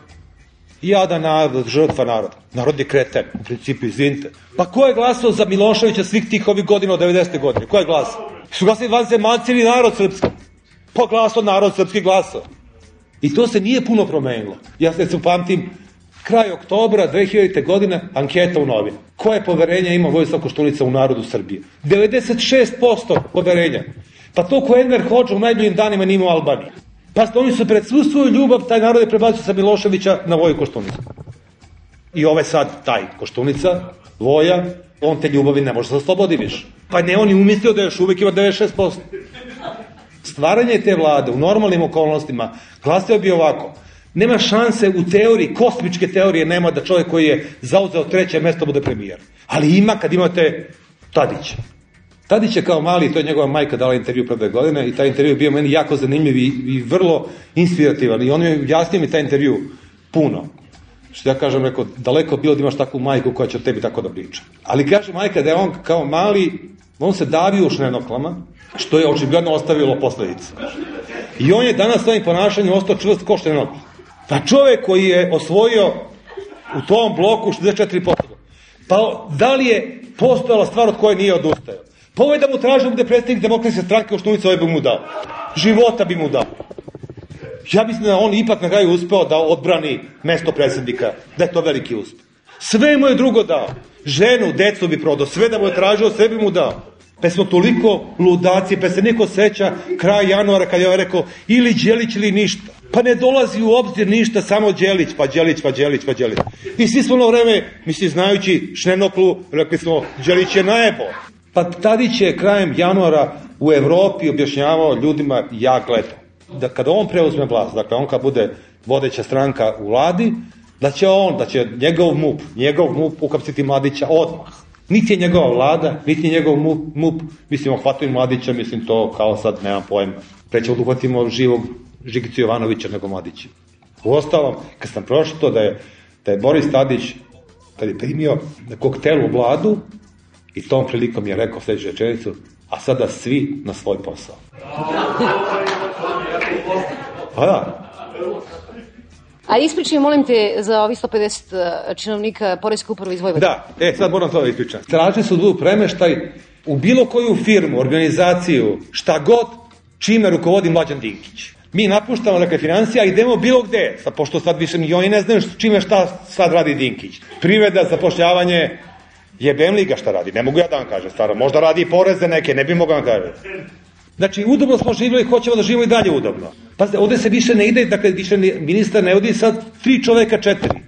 Jada narod, žrtva naroda. Narod je kreten, u principu, izvinite. Pa ko je glasao za Miloševića svih tih ovih godina od devedesete godine? Ko je glasao? Su glasali vanzemaljci ili narod srpski? Pa glasao narod srpski glasao. I to se nije puno promenilo. Ja se upamtim, kraj oktobra dve hiljadite. godine, anketa u novinu. Koje poverenje ima Vojislav Koštunica u narodu Srbije? devedeset šest posto poverenja. Pa to ko Enver Hodža u najboljim danima nije imao u Albaniji. Pa oni su pred svu svoju ljubav, taj narod je prebacio sa Miloševića na Voju Koštunicu. I ovaj sad, taj Koštunica, Voja, on te ljubavi ne može se oslobodi više. Pa ne, on je umislio da još uvijek ima devedeset šest posto. Stvaranje te vlade u normalnim okolnostima glasio bi ovako. Nema šanse u teoriji, kosmičke teorije nema da čovjek koji je zauzeo treće mesto bude premijer. Ali ima kad imate Tadića. Tadić je kao mali, to je njegova majka dala intervju pre dve godine i taj intervju je bio meni jako zanimljiv i, i vrlo inspirativan. I on mi jasnio mi taj intervju puno. Što ja kažem, rekao, daleko bilo da imaš takvu majku koja će o tebi tako da priča. Ali kaže majka da je on kao mali, on se davio u šnenoklama, što je očigledno ostavilo posledice. I on je danas svojim ponašanjem ostao čvrst ko štenokla. Pa čovek koji je osvojio u tom bloku šezdeset četiri posto. Pa da li je postojala stvar od koje nije odustajao? Pa ovo je da mu traži da bude predstavnik Demokratske stranke, Koštunica ovaj bi mu dao. Života bi mu dao. Ja mislim da on ipak na kraju uspeo da odbrani mesto predsednika, da je to veliki uspeh. Sve mu je drugo dao. Ženu, decu bi prodao, sve da mu je tražio, sve bi mu dao. Pa smo toliko ludaci, pa se niko seća kraj januara kad je ovaj rekao ili Đelić ili ništa. Pa ne dolazi u obzir ništa, samo Đelić, pa Đelić, pa Đelić, pa Đelić. I svi smo ono vreme, mislim, znajući Šnenoklu, rekli smo, Đelić je najebo. Pa Tadić je krajem januara u Evropi objašnjavao ljudima, ja gledam, da kada on preuzme vlast, dakle on kad bude vodeća stranka u vladi, da će on, da će njegov MUP, njegov MUP ukapsiti Mladića odmah. Niti je njegova vlada, niti je njegov MUP, MUP mislim, ohvatimo Mladića, mislim, to kao sad, nemam pojma. Prećemo da uhvatimo živog Žigicu Jovanovića nego Mladića. U ostalom, kad sam prošao da je, da je Boris Tadić, kad je primio na koktelu u vladu, i tom prilikom je rekao sljedeću rečenicu, a sada svi na svoj posao. Pa da. A ispričaj, molim te, za ovih sto pedeset činovnika Poreske uprave iz Vojvodine. Da, e, sad moram to da ispričam. Tražili su da premeštaj u bilo koju firmu, organizaciju, šta god, čime rukovodi Mlađan Dinkić. Mi napuštamo, dakle, financija, idemo bilo gde, sad, pošto sad više ni oni ne znaju čime šta sad radi Dinkić. Privreda, zapošljavanje, jebem li ga šta radi, ne mogu ja da vam kažem, stvarno, možda radi i poreze neke, ne bi mogu vam kažem. Znači, udobno smo živjeli, hoćemo da živimo i dalje udobno. Pazite, ovde se više ne ide, dakle, više ministar ne odi sad tri čoveka četiri.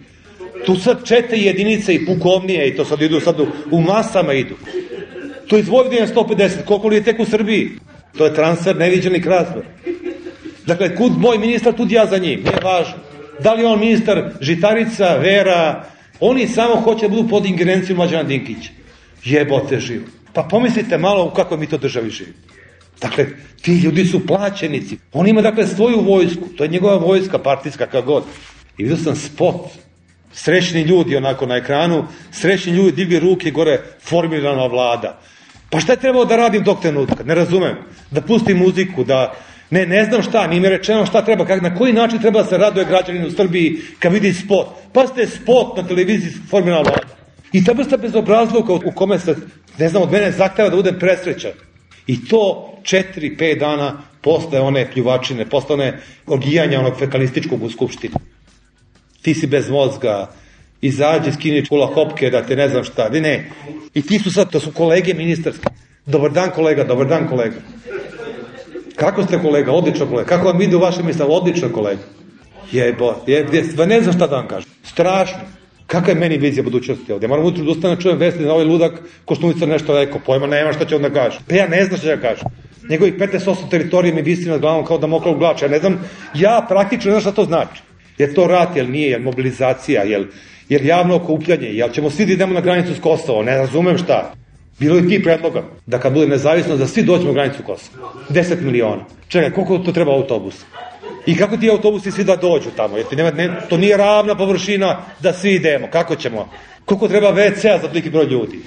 Tu sad četiri jedinice i pukovnije i to sad idu, sad u, u masama idu. To iz Vojvodine sto pedeset, koliko li je tek u Srbiji? To je transfer, neviđeni transfer. Dakle, kud moj ministar, tud ja za njim, nije važno. Da li je on ministar Žitarica, Vera, oni samo hoće da budu pod ingerencijom Mlađana Dinkića. Jebote živo. Pa pomislite malo u kakvoj mi to državi živimo. Dakle, ti ljudi su plaćenici. On ima, dakle, svoju vojsku. To je njegova vojska, partijska, kako god. I vidio sam spot. Srećni ljudi, onako, na ekranu. Srećni ljudi, digli ruke, gore, formirana vlada. Pa šta je trebao da radim dok trenutka? Ne razumem. Da pustim muziku, da... Ne, ne znam šta, nije mi rečeno šta treba, kak, na koji način treba da se raduje građanin u Srbiji kad vidi spot. Pa ste spot na televiziji formirana vlada. I ta vrsta bezobrazluka u kome se, ne znam, od mene zahteva da budem presrećan. I to četiri, pet dana posle one pljuvačine, posle one orgijanja onog fekalističkog u Skupštini. Ti si bez mozga, izađi, skini čula hopke, da te ne znam šta, ne, ne. I ti su sad, to su kolege ministarske. Dobar dan kolega, dobar dan kolega. Kako ste kolega, odlično kolega, kako vam ide u vašem misle, odlično kolega. Jebo, je, ne znam šta da vam kažem. Strašno. Kakva je meni vizija budućnosti ovdje? Moram utru da ustane, čujem vesti na ovaj ludak Koštunica nešto rekao, pojma nema šta će on da kaže. Pa ja ne znam šta će da kaže. Njegovih petnaest posto teritorije mi visi nad glavom kao da mokla u glača. Ja ne znam, ja praktično ne znam šta to znači. Je to rat, jel nije, jel mobilizacija, jel, jel javno okupljanje, jel ćemo svi da idemo na granicu s Kosovo, ne razumem šta. Bilo je ti predloga da kad bude nezavisno da svi dođemo u granicu Kosova. deset miliona. Čekaj, koliko to treba autobusa? I kako ti autobusi svi da dođu tamo? Jer ti nema, ne, to nije ravna površina da svi idemo. Kako ćemo? Koliko treba ve ce a za toliki broj ljudi?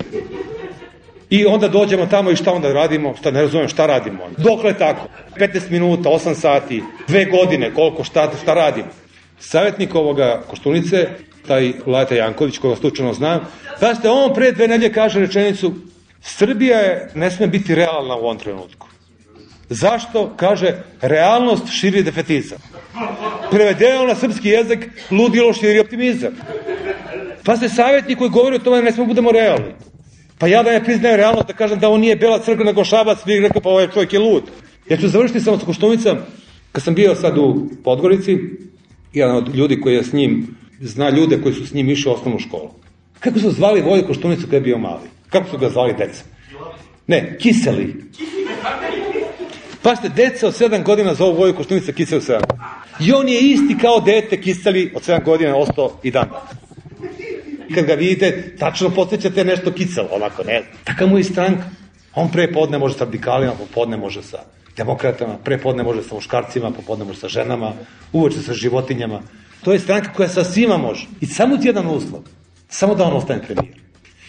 I onda dođemo tamo i šta onda radimo? Šta, ne razumem, šta radimo? Dokle tako? petnaest minuta, osam sati, dve godine, koliko, šta, šta radimo? savjetnik ovoga Koštunice, taj Lajta Janković, koga slučajno znam, pazite, on pre dve nedelje kaže rečenicu, Srbija je, ne sme biti realna u ovom trenutku. Zašto? Kaže, realnost širi defetizam. Prevedeno na srpski jezik, ludilo širi optimizam. Pazite, savjetnik koji govori o tome da ne smo budemo realni. Pa ja da ne priznajem realnost, da kažem da on nije Bela crkva nego Šabac, bih rekao pa ovaj čovjek je lud. Ja ću završiti samo sa Koštunicom. Kad sam bio sad u Podgorici, jedan od ljudi koji je s njim, zna ljude koji su s njim išli u osnovnu školu. Kako su zvali Voju Koštunicu kada je bio mali? Kako su ga zvali deca? Ne, Kiseli. Pazite, deca od sedam godina zovu Voju Koštunica Kiseli sedam. I on je isti kao dete Kiseli od sedam godina ostao i dan. Kad ga vidite, tačno podsjećate nešto Kiselo, onako, ne znam. Taka mu je stranka. On pre podne može sa radikalima, popodne može sa demokratama, pre podne može sa muškarcima, popodne može sa ženama, uveče sa životinjama. To je stranka koja sa svima može. I samo ti jedan uslov. Samo da on ostane premijer.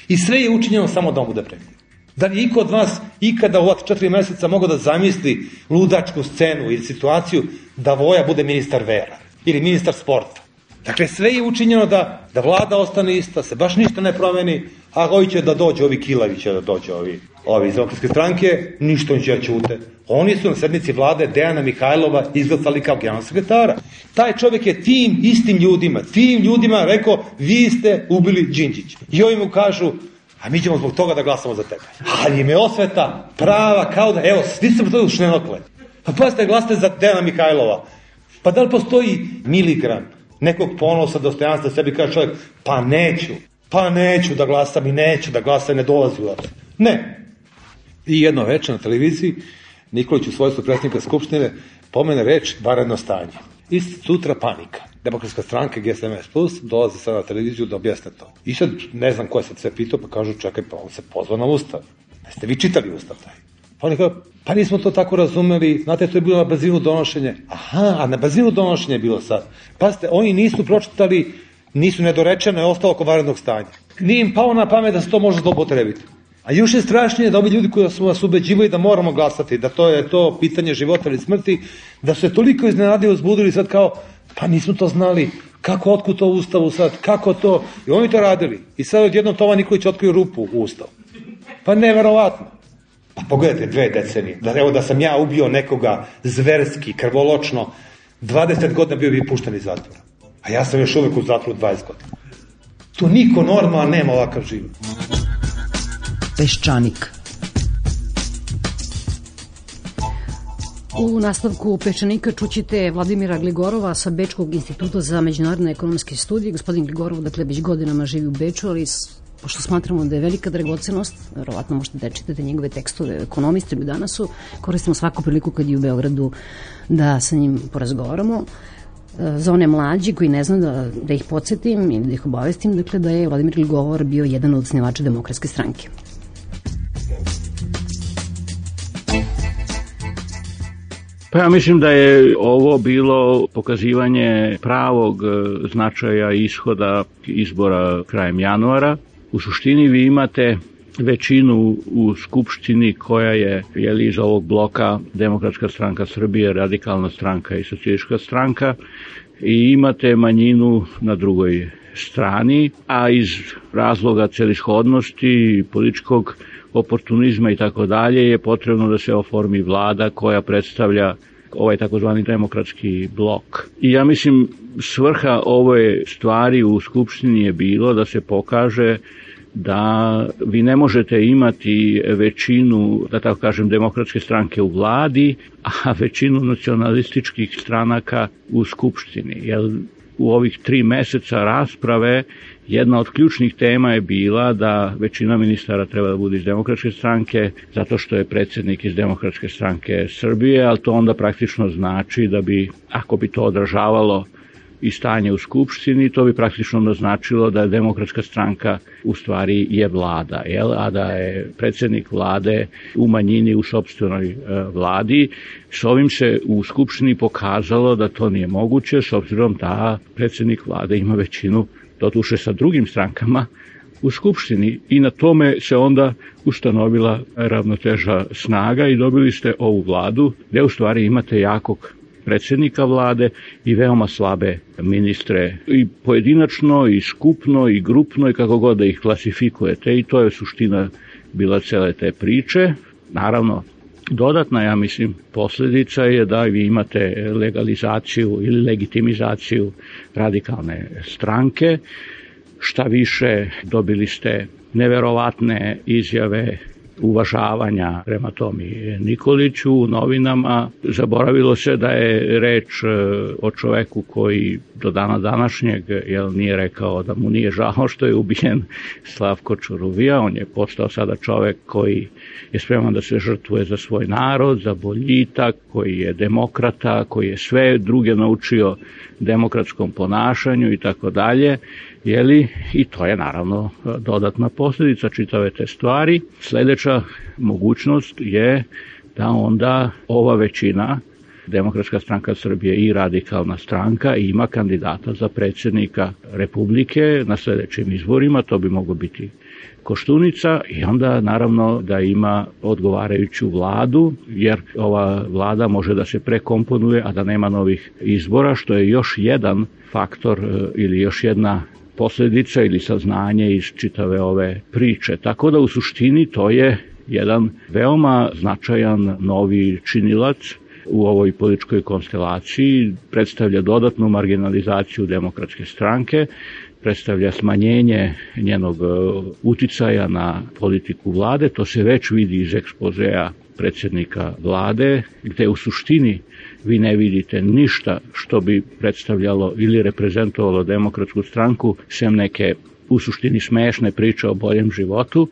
I sve je učinjeno samo da on bude premijer. Da li iko od vas ikada u ova četiri meseca mogao da zamisli ludačku scenu ili situaciju da Voja bude ministar vera ili ministar sporta? Dakle, sve je učinjeno da, da vlada ostane ista, se baš ništa ne promeni, a ovi će da dođe, ovi Kilavi će da dođe, ovi, ovi iz demokratske stranke, ništa on će da ćute. Oni su na sednici vlade Dejana Mihajlova izglasali kao generalnog sekretara. Taj čovjek je tim istim ljudima, tim ljudima rekao, vi ste ubili Đinđića. I ovi mu kažu, a mi ćemo zbog toga da glasamo za tebe. Ali im je osveta prava kao da, evo, svi ste to u šnenokle. Pa pazite, glasate za Dejana Mihajlova. Pa da li postoji miligram nekog ponosa, dostojanstva, sebi kaže čovjek, pa neću, pa neću da glasam i neću da glasam, ne dolazi u obzir. Ne. I jedno večer na televiziji, Nikolić u svojstvu predsjednika Skupštine pomene reč vanredno stanje. I sutra panika. Demokratska stranka G S M S plus dolazi sad na televiziju da objasne to. I sad ne znam ko je sad sve pitao, pa kažu čekaj, pa on se pozvao na Ustav. Ne ste vi čitali Ustav taj? Pa oni kao, pa nismo to tako razumeli, znate, to je bilo na brzinu donošenje. Aha, a na brzinu donošenje je bilo sad. Pazite, oni nisu pročitali, nisu nedorečeno, je ostalo oko vanrednog stanja. Nije im pao na pamet da se to može zloupotrebiti. A još je strašnije da ovi ljudi koji su vas ubeđivali da moramo glasati, da to je to pitanje života ili smrti, da su se toliko iznenadili, uzbudili sad kao, pa nismo to znali, kako, otkud to u Ustavu sad, kako to, i oni to radili. I sad odjednom Toma Nikolić otkriju rupu u Ustavu. Pa neverovatno. Pa pogledajte, dve decenije, da, evo da sam ja ubio nekoga zverski, krvoločno, dvadeset godina bio bi pušten iz zatvora. A ja sam još uvek u zatvoru dvadeset godina. Tu niko normalan nema ovakav život. Peščanik. U nastavku Peščanika čućite Vladimira Gligorova sa Bečkog instituta za međunarodne ekonomske studije. Gospodin Gligorov, dakle, već godinama živi u Beču, ali pošto smatramo da je velika dragocenost, verovatno možete da čitate njegove tekstove ekonomiste u Danasu, koristimo svaku priliku kad je u Beogradu da sa njim porazgovaramo. Za one mlađi koji ne znam da, da ih podsjetim ili da ih obavestim, dakle, da je Vladimir Gligor bio jedan od osnivača Demokratske stranke. Pa ja mislim da je ovo bilo pokazivanje pravog značaja ishoda izbora krajem januara. U suštini vi imate većinu u Skupštini koja je, je li iz ovog bloka Demokratska stranka Srbije, Radikalna stranka i Socijalistička stranka, i imate manjinu na drugoj strani, a iz razloga celishodnosti, političkog oportunizma i tako dalje je potrebno da se oformi vlada koja predstavlja ovaj takozvani demokratski blok. I ja mislim svrha ove stvari u Skupštini je bilo da se pokaže da vi ne možete imati većinu, da tako kažem, demokratske stranke u vladi, a većinu nacionalističkih stranaka u Skupštini. Jer u ovih tri meseca rasprave jedna od ključnih tema je bila da većina ministara treba da bude iz Demokratske stranke, zato što je predsjednik iz Demokratske stranke Srbije, ali to onda praktično znači da bi, ako bi to odražavalo i stanje u Skupštini, to bi praktično naznačilo da je Demokratska stranka u stvari je vlada, jel? A da je predsjednik vlade u manjini u sopstvenoj e, vladi. S ovim se u Skupštini pokazalo da to nije moguće, s obzirom da predsjednik vlade ima većinu, doduše sa drugim strankama, u Skupštini, i na tome se onda ustanovila ravnoteža snaga i dobili ste ovu vladu, gde u stvari imate jakog predsjednika vlade i veoma slabe ministre i pojedinačno i skupno i grupno i kako god da ih klasifikujete, i to je suština bila cele te priče. Naravno, dodatna, ja mislim, posljedica je da vi imate legalizaciju ili legitimizaciju radikalne stranke. Šta više, dobili ste neverovatne izjave uvažavanja prema Tomi Nikoliću u novinama. Zaboravilo se da je reč o čoveku koji do dana današnjeg jel, nije rekao da mu nije žao što je ubijen Slavko Ćuruvija. On je postao sada čovek koji je spreman da se žrtvuje za svoj narod, za boljitak, koji je demokrata, koji je sve druge naučio demokratskom ponašanju i tako dalje. Jeli, i to je naravno dodatna posljedica čitave te stvari. Sljedeća mogućnost je da onda ova većina, Demokratska stranka Srbije i Radikalna stranka, ima kandidata za predsjednika Republike na sljedećim izborima. To bi moglo biti Koštunica i onda naravno da ima odgovarajuću vladu, jer ova vlada može da se prekomponuje, a da nema novih izbora, što je još jedan faktor ili još jedna posljedica ili saznanje iz čitave ove priče. Tako da u suštini to je jedan veoma značajan novi činilac u ovoj političkoj konstelaciji, predstavlja dodatnu marginalizaciju Demokratske stranke, predstavlja smanjenje njenog uticaja na politiku vlade. To se već vidi iz ekspozea predsjednika vlade, gde u suštini vi ne vidite ništa što bi predstavljalo ili reprezentovalo Demokratsku stranku, sem neke u suštini smešne priče o boljem životu,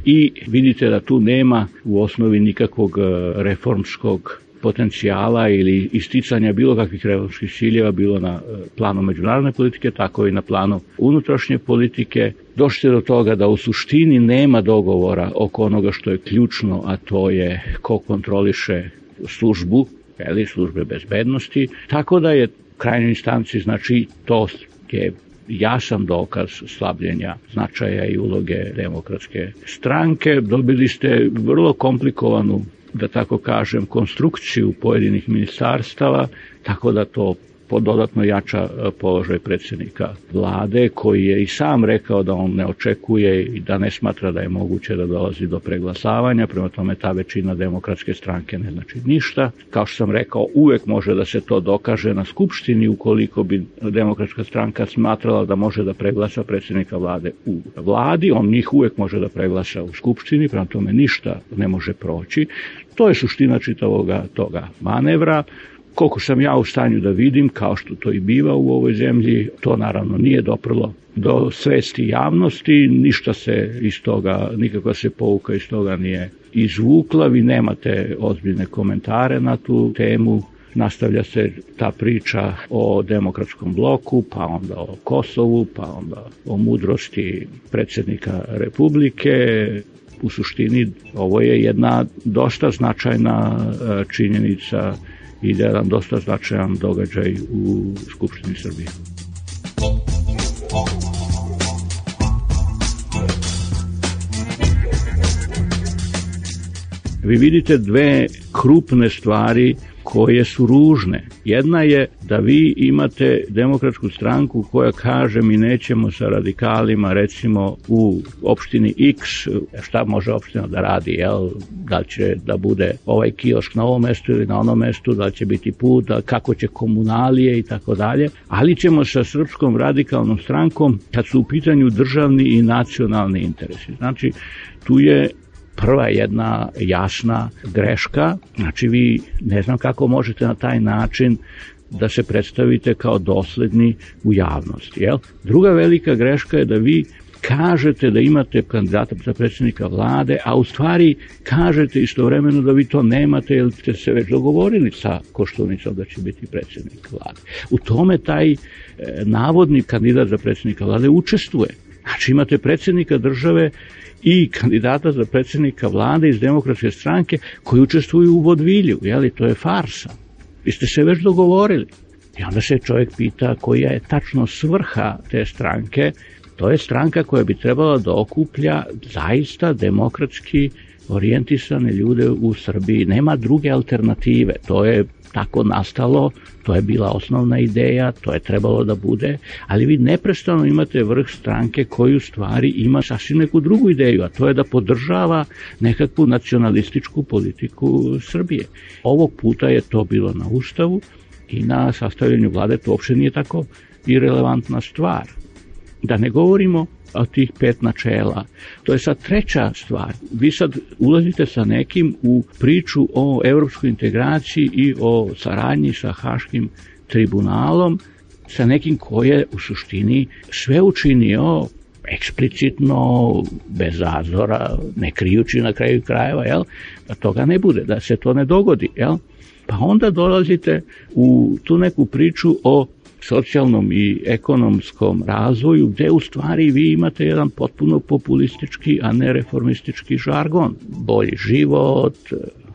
i vidite da tu nema u osnovi nikakvog reformskog potencijala ili isticanja bilo kakvih reformskih ciljeva, bilo na planu međunarodne politike, tako i na planu unutrašnje politike. Došli do toga da u suštini nema dogovora oko onoga što je ključno, a to je ko kontroliše službu, ili službe bezbednosti, tako da je u krajnjoj instanci, znači, to je jasan dokaz slabljenja značaja i uloge Demokratske stranke. Dobili ste vrlo komplikovanu, da tako kažem, konstrukciju pojedinih ministarstava, tako da to dodatno jača položaj predsjednika vlade, koji je i sam rekao da on ne očekuje i da ne smatra da je moguće da dolazi do preglasavanja. Prema tome, ta većina Demokratske stranke ne znači ništa. Kao što sam rekao, uvek može da se to dokaže na skupštini ukoliko bi Demokratska stranka smatrala da može da preglasa predsjednika vlade u vladi. On njih uvek može da preglasa u skupštini, prema tome ništa ne može proći. To je suština čitavoga toga manevra. Koliko sam ja u stanju da vidim, kao što to i biva u ovoj zemlji, to naravno nije doprlo do svesti javnosti, ništa se iz toga, nikakva se pouka iz toga nije izvukla, vi nemate ozbiljne komentare na tu temu, nastavlja se ta priča o demokratskom bloku, pa onda o Kosovu, pa onda o mudrosti predsjednika Republike. U suštini ovo je jedna dosta značajna činjenica i jedan dosta značajan događaj u Skupštini Srbije. Vi vidite dve krupne stvari koje su ružne. Jedna je da vi imate Demokratsku stranku koja kaže mi nećemo sa radikalima, recimo u opštini X, šta može opština da radi, jel? Da li će da bude ovaj kiosk na ovom mestu ili na onom mestu, da li će biti put, da, kako će komunalije i tako dalje, ali ćemo sa Srpskom radikalnom strankom kad su u pitanju državni i nacionalni interesi. Znači, tu je prva jedna jasna greška, znači vi ne znam kako možete na taj način da se predstavite kao dosledni u javnosti. Jel? Druga velika greška je da vi kažete da imate kandidata za predsjednika vlade, a u stvari kažete istovremeno da vi to nemate jer ste se već dogovorili sa Koštunicom da će biti predsjednik vlade. U tome taj e, navodni kandidat za predsjednika vlade učestvuje. Znači imate predsjednika države i kandidata za predsjednika vlade iz Demokratske stranke koji učestvuju u vodvilju, jeli, to je farsa. Vi ste se već dogovorili. I onda se čovjek pita koja je tačno svrha te stranke. To je stranka koja bi trebala da okuplja zaista demokratski orijentisane ljude u Srbiji. Nema druge alternative, to je tako nastalo, to je bila osnovna ideja, to je trebalo da bude, ali vi neprestano imate vrh stranke koji u stvari ima sasvim neku drugu ideju, a to je da podržava nekakvu nacionalističku politiku Srbije. Ovog puta je to bilo na Ustavu i na sastavljanju vlade, to uopšte nije tako irelevantna stvar. Da ne govorimo o tih pet načela. To je sad treća stvar. Vi sad ulazite sa nekim u priču o evropskoj integraciji i o saradnji sa Haškim tribunalom, sa nekim ko je u suštini sve učinio eksplicitno, bez zazora, ne krijući na kraju krajeva, jel? Da toga ne bude, da se to ne dogodi. Jel? Pa onda dolazite u tu neku priču o socijalnom i ekonomskom razvoju, gde u stvari vi imate jedan potpuno populistički, a ne reformistički žargon. Bolji život,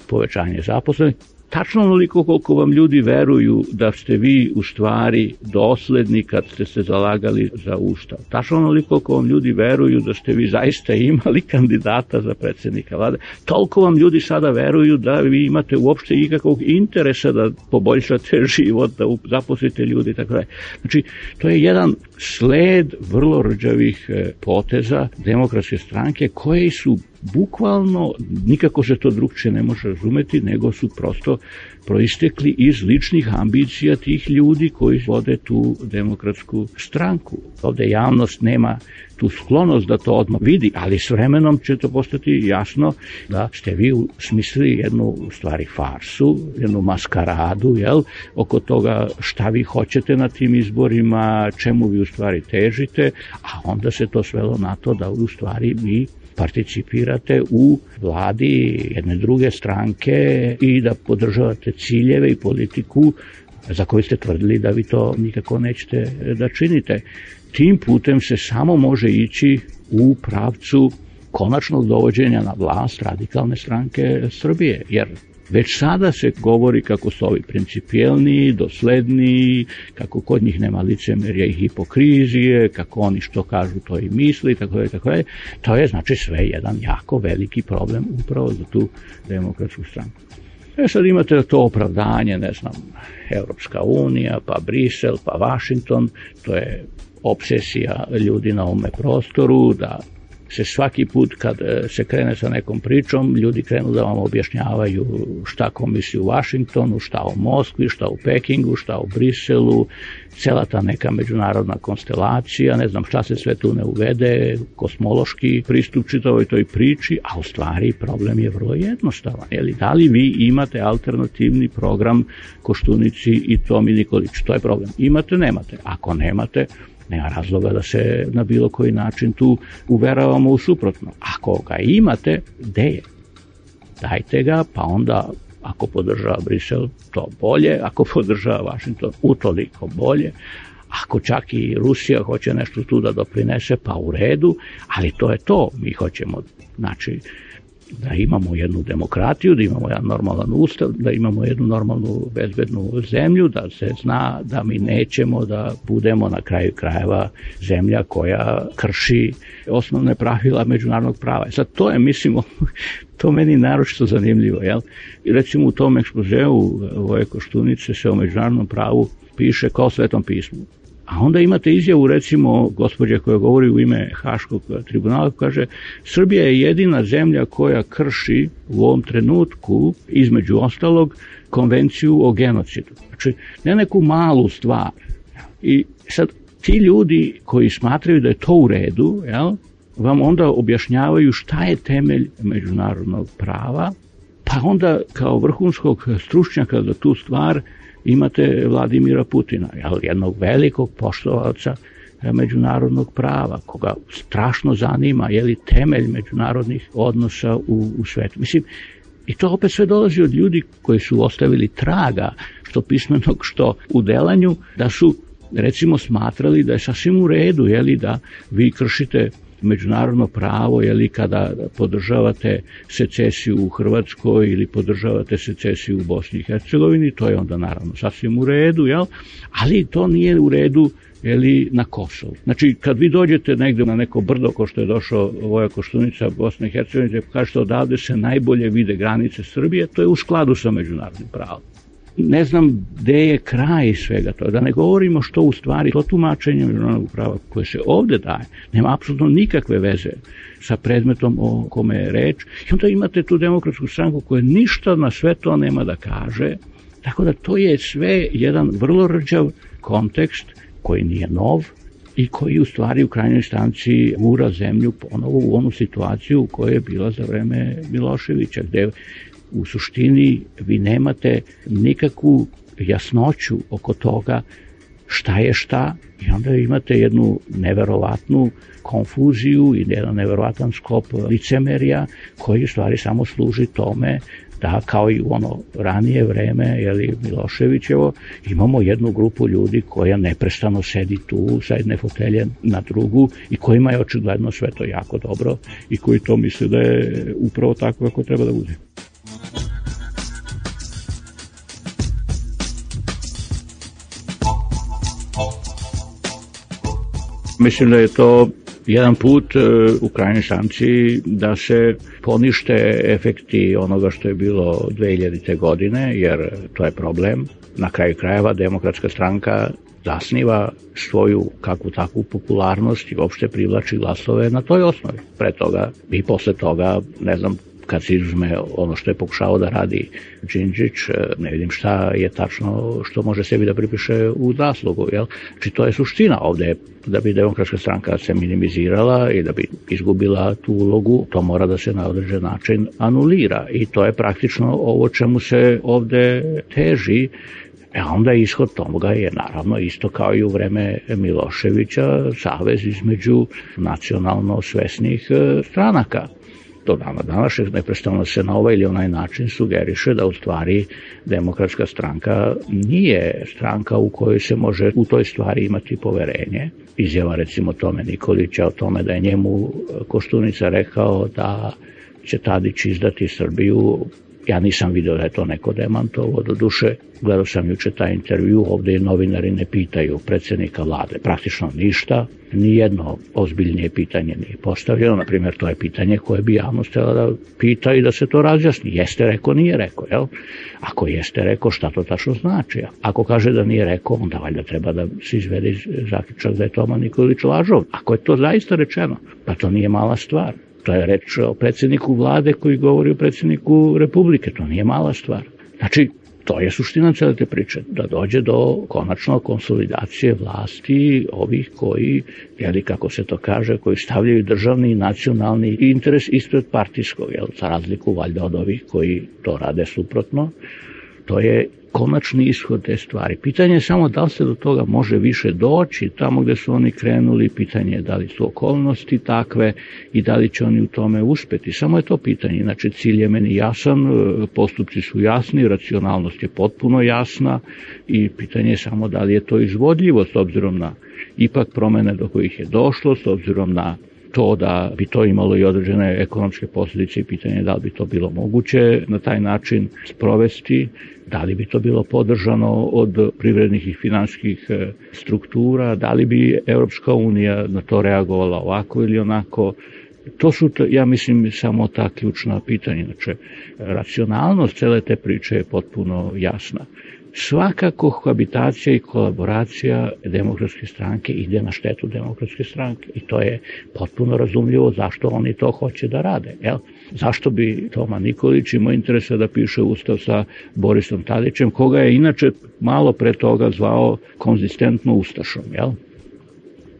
povećanje zaposlenih. Tačno onoliko koliko vam ljudi veruju da ste vi u stvari dosledni kad ste se zalagali za Ustav. Tačno onoliko koliko vam ljudi veruju da ste vi zaista imali kandidata za predsjednika vlade. Toliko vam ljudi sada veruju da vi imate uopšte ikakvog interesa da poboljšate život, da zaposlite ljudi i tako dalje. Znači, to je jedan sled vrlo rđavih poteza demokratske stranke koje su bukvalno, nikako se to drugčije ne može razumeti, nego su prosto proistekli iz ličnih ambicija tih ljudi koji vode tu demokratsku stranku. Ovde javnost nema tu sklonost da to odmah vidi, ali s vremenom će to postati jasno da ste vi smislili jednu u stvari farsu, jednu maskaradu, jel, oko toga šta vi hoćete na tim izborima, čemu vi u stvari težite, a onda se to svelo na to da u stvari vi participirate u vladi jedne druge stranke i da podržavate ciljeve i politiku za koju ste tvrdili da vi to nikako nećete da činite. Tim putem se samo može ići u pravcu konačnog dovođenja na vlast radikalne stranke Srbije, jer već sada se govori kako su ovi principijelni, dosledni, kako kod njih nema licemerja i hipokrizije, kako oni što kažu to i misli, tako je, tako je. To je znači sve jedan jako veliki problem upravo za tu demokratsku stranku. E sad imate to opravdanje, ne znam, Evropska unija, pa Brisel, pa Vašington, to je obsesija ljudi na ovome prostoru, da se svaki put kad se krene sa nekom pričom, ljudi krenu da vam objašnjavaju šta ko misli u Vašingtonu, šta u Moskvi, šta u Pekingu, šta u Briselu, cela ta neka međunarodna konstelacija, ne znam šta se sve tu ne uvede, kosmološki pristup čitavoj toj priči, a u stvari problem je vrlo jednostavan. Jeli, da li vi imate alternativni program Koštunici i Tomi Nikolić? To je problem. Imate, nemate. Ako nemate, nema razloga da se na bilo koji način tu uveravamo u suprotno. Ako ga imate, gde je? Dajte ga, pa onda ako podržava Brisel, to bolje, ako podržava Vašington, utoliko bolje. Ako čak i Rusija hoće nešto tu da doprinese, pa u redu, ali to je to. Mi hoćemo, znači, da imamo jednu demokratiju, da imamo jedan normalan ustav, da imamo jednu normalnu bezbednu zemlju, da se zna da mi nećemo da budemo na kraju krajeva zemlja koja krši osnovne pravila međunarodnog prava. Sad to je, mislim, to meni naročito zanimljivo, jel? I recimo u tom ekspozeu Voje Koštunice se o međunarodnom pravu piše kao Svetom pismu. A onda imate izjavu, recimo, gospođe koja govori u ime Haškog tribunala, kaže, Srbija je jedina zemlja koja krši u ovom trenutku, između ostalog, konvenciju o genocidu. Znači, ne neku malu stvar. I sad, ti ljudi koji smatraju da je to u redu, jel, vam onda objašnjavaju šta je temelj međunarodnog prava, pa onda kao vrhunskog stručnjaka za tu stvar imate Vladimira Putina, jednog velikog poštovalca međunarodnog prava, koga strašno zanima je li temelj međunarodnih odnosa u, u svetu. Mislim, i to opet sve dolazi od ljudi koji su ostavili traga, što pismenog, što u delanju, da su recimo smatrali da je sasvim u redu, je li, da vi kršite međunarodno pravo, jeli, kada podržavate secesiju u Hrvatskoj ili podržavate secesiju u Bosni i Hercegovini, to je onda naravno sasvim u redu, jel? Ali to nije u redu ili na Kosovu. Znači, kad vi dođete negde na neko brdo, ko što je došao Voja Koštunica, Bosna i Hercegovina, kažete odavde se najbolje vide granice Srbije, to je u skladu sa međunarodnim pravom. Ne znam gde je kraj svega toga, da ne govorimo što u stvari to tumačenje međunarodnog prava koje se ovde daje, nema apsolutno nikakve veze sa predmetom o kome je reč. I onda imate tu Demokratsku stranku koja ništa na sve to nema da kaže, tako da to je sve jedan vrlo rđav kontekst koji nije nov i koji u stvari u krajnjoj instanci gura zemlju ponovo u onu situaciju u kojoj je bila za vreme Miloševića, gde u suštini vi nemate nikakvu jasnoću oko toga šta je šta i onda imate jednu neverovatnu konfuziju i jedan neverovatan sklop licemerja koji u stvari samo služi tome da kao i u ono ranije vreme, jeli, Miloševićevo, imamo jednu grupu ljudi koja neprestano sedi tu sa jedne fotelje na drugu i kojima je očigledno sve to jako dobro i koji to misle da je upravo tako kako treba da bude. Mislim da je to jedan put u krajnjoj instanci da se ponište efekti onoga što je bilo dve hiljadite. godine, jer to je problem. Na kraju krajeva Demokratska stranka zasniva svoju kakvu takvu popularnost i uopšte privlači glasove na toj osnovi. Pre toga i posle toga, ne znam, kad se izuzme ono što je pokušao da radi Đinđić, ne vidim šta je tačno što može sebi da pripiše u zaslugu. Jel? Znači to je suština ovde, da bi Demokratska stranka se minimizirala i da bi izgubila tu ulogu, to mora da se na određen način anulira i to je praktično ovo čemu se ovde teži. E onda ishod toga je naravno isto kao i u vreme Miloševića, savez između nacionalno svesnih stranaka. Do dana današnjeg neprestano se na ovaj ili onaj način sugeriše da u stvari Demokratska stranka nije stranka u kojoj se može u toj stvari imati poverenje. Izjava recimo Tome Nikolića o tome da je njemu Koštunica rekao da će Tadić izdati Srbiju. Ja nisam vidio da je to neko demantovo, do duše gledao sam juče taj intervju, ovde novinari ne pitaju predsjednika vlade praktično ništa, nijedno ozbiljnije pitanje nije postavljeno, na primjer to je pitanje koje bi javnost htjela da pita i da se to razjasni, jeste rekao, nije rekao, jel? Ako jeste rekao, šta to tačno znači? Ako kaže da nije rekao, onda valjda treba da se izvede zaključak da je Toma Nikolić lažov. Ako je to zaista rečeno, pa to nije mala stvar. To je reč o predsjedniku vlade koji govori o predsjedniku Republike, to nije mala stvar. Znači, to je suština cele te priče, da dođe do konačno konsolidacije vlasti ovih koji, jeli kako se to kaže, koji stavljaju državni i nacionalni interes ispred partijskog, jel, za razliku valjda od ovih koji to rade suprotno. To je konačni ishod te stvari. Pitanje je samo da li se do toga može više doći, tamo gde su oni krenuli, pitanje je da li su okolnosti takve i da li će oni u tome uspeti. Samo je to pitanje. Znači, cilj je meni jasan, postupci su jasni, racionalnost je potpuno jasna i pitanje je samo da li je to izvodljivo s obzirom na ipak promene do kojih je došlo, s obzirom na to da bi to imalo i određene ekonomske posljedice i pitanje je da li bi to bilo moguće na taj način sprovesti, da li bi to bilo podržano od privrednih i finansijskih struktura, da li bi Europska unija na to reagovala ovako ili onako. To su, ja mislim, samo ta ključna pitanja. Znači, racionalnost cele te priče je potpuno jasna. Svaka kohabitacija i kolaboracija Demokratske stranke ide na štetu Demokratske stranke i to je potpuno razumljivo zašto oni to hoće da rade. Jel? Zašto bi Toma Nikolić imao interesa da piše ustav sa Borisom Tadićem, koga je inače malo pre toga zvao konzistentno ustašom, jel?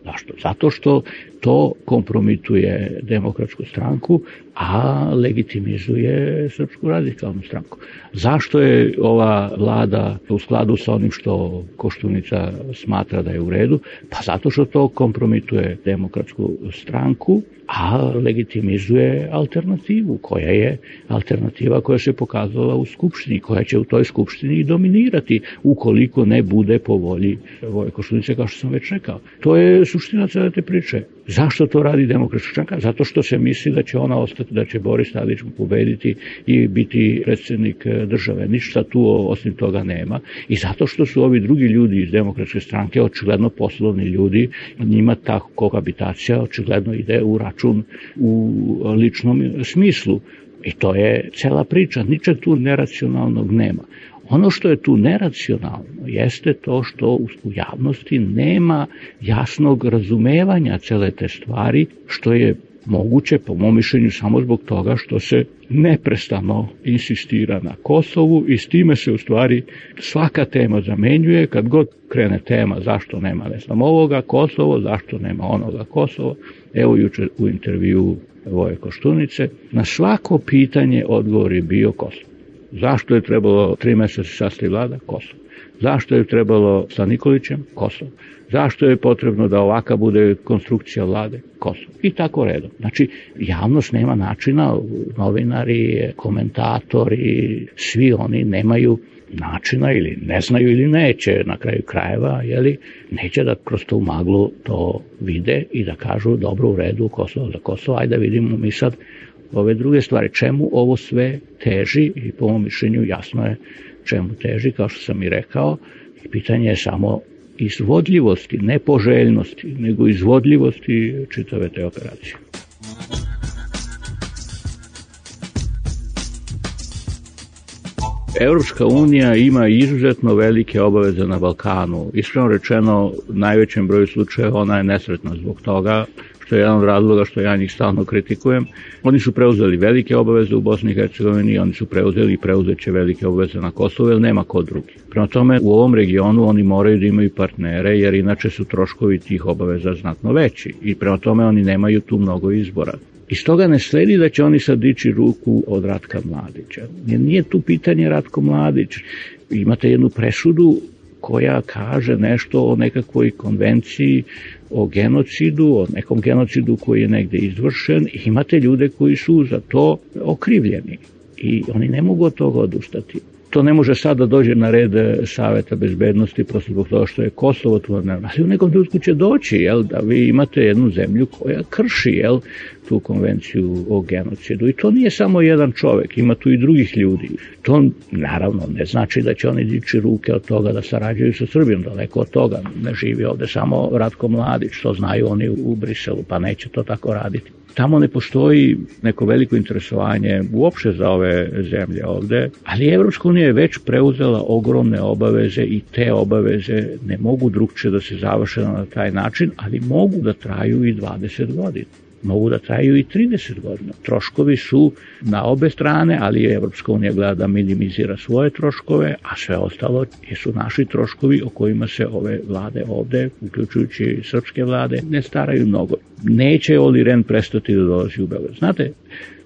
Zašto? Zato što to kompromituje Demokratsku stranku, a legitimizuje Srpsku radikalnu stranku. Zašto je ova vlada u skladu sa onim što Koštunica smatra da je u redu? Pa zato što to kompromituje Demokratsku stranku, a legitimizuje alternativu, koja je alternativa koja se pokazala u Skupštini, koja će u toj Skupštini i dominirati, ukoliko ne bude po volji Voje Koštunice, kao što sam već rekao. To je suština cele te priče. Zašto to radi Demokratska stranka? Zato što se misli da će ona ostati, da će Boris Tadić pobediti i biti predsjednik države. Ništa tu osim toga nema. I zato što su ovi drugi ljudi iz Demokratske stranke očigledno poslovni ljudi, njima ta kohabitacija očigledno ide u račun u ličnom smislu. I to je cela priča, ničeg tu neracionalnog nema. Ono što je tu neracionalno jeste to što u javnosti nema jasnog razumevanja cele te stvari, što je moguće, po mom mišljenju, samo zbog toga što se neprestano insistira na Kosovu i s time se u stvari svaka tema zamenjuje. Kad god krene tema zašto nema ne znam ovoga Kosovo, zašto nema onoga Kosovo, evo jučer u intervju Voje Koštunice, na svako pitanje odgovor je bio Kosovo. Zašto je trebalo tri meseca sastavi vlada? Kosovo. Zašto je trebalo sa Nikolićem? Kosovo. Zašto je potrebno da ovaka bude konstrukcija vlade? Kosovo. I tako redom. Znači, javnost nema načina, novinari, komentatori, svi oni nemaju načina ili ne znaju ili neće na kraju krajeva, jeli, neće da kroz tu maglu to vide i da kažu dobro u redu Kosovo za Kosovo, ajde da vidimo mi sad ove druge stvari. Čemu ovo sve teži i po mom mišljenju jasno je čemu teži, kao što sam i rekao, i pitanje je samo izvodljivosti, ne poželjnosti, nego izvodljivosti čitave te operacije. Evropska unija ima izuzetno velike obaveze na Balkanu. Iskreno rečeno, u najvećem broju slučajeva ona je nesretna zbog toga, što je jedan od razloga što ja njih stalno kritikujem. Oni su preuzeli velike obaveze u Bosni i Hercegovini, oni su preuzeli i preuzeće velike obaveze na Kosovu, jer nema ko drugi. Prema tome, u ovom regionu oni moraju da imaju partnere, jer inače su troškovi tih obaveza znatno veći. I prema tome oni nemaju tu mnogo izbora. Iz toga ne sledi da će oni sad dići ruku od Ratka Mladića. Jer nije tu pitanje Ratko Mladić. Imate jednu presudu koja kaže nešto o nekakvoj konvenciji o genocidu, o nekom genocidu koji je negde izvršen, i imate ljude koji su za to okrivljeni i oni ne mogu od toga odustati. To ne može sad da dođe na red Saveta bezbednosti prosto zbog toga što je Kosovo tu, ali u nekom trenutku će doći, jel, da vi imate jednu zemlju koja krši, jel, tu konvenciju o genocidu. I to nije samo jedan čovek, ima tu i drugih ljudi. To naravno ne znači da će oni dići ruke od toga da sarađuju sa Srbijom, daleko od toga. Ne živi ovde samo Ratko Mladić, to znaju oni u Briselu, pa neće to tako raditi. Tamo ne postoji neko veliko interesovanje uopšte za ove zemlje ovde, ali Evropska unija je već preuzela ogromne obaveze i te obaveze ne mogu drugčije da se završe na taj način, ali mogu da traju i dvadeset godina. Mogu da traju i trideset godina. Troškovi su na obe strane, ali Evropska unija gleda da minimizira svoje troškove, a sve ostalo su naši troškovi o kojima se ove vlade ovde, uključujući srpske vlade, ne staraju mnogo. Neće Oli Rehn prestati da dolazi u Beograd. Znate,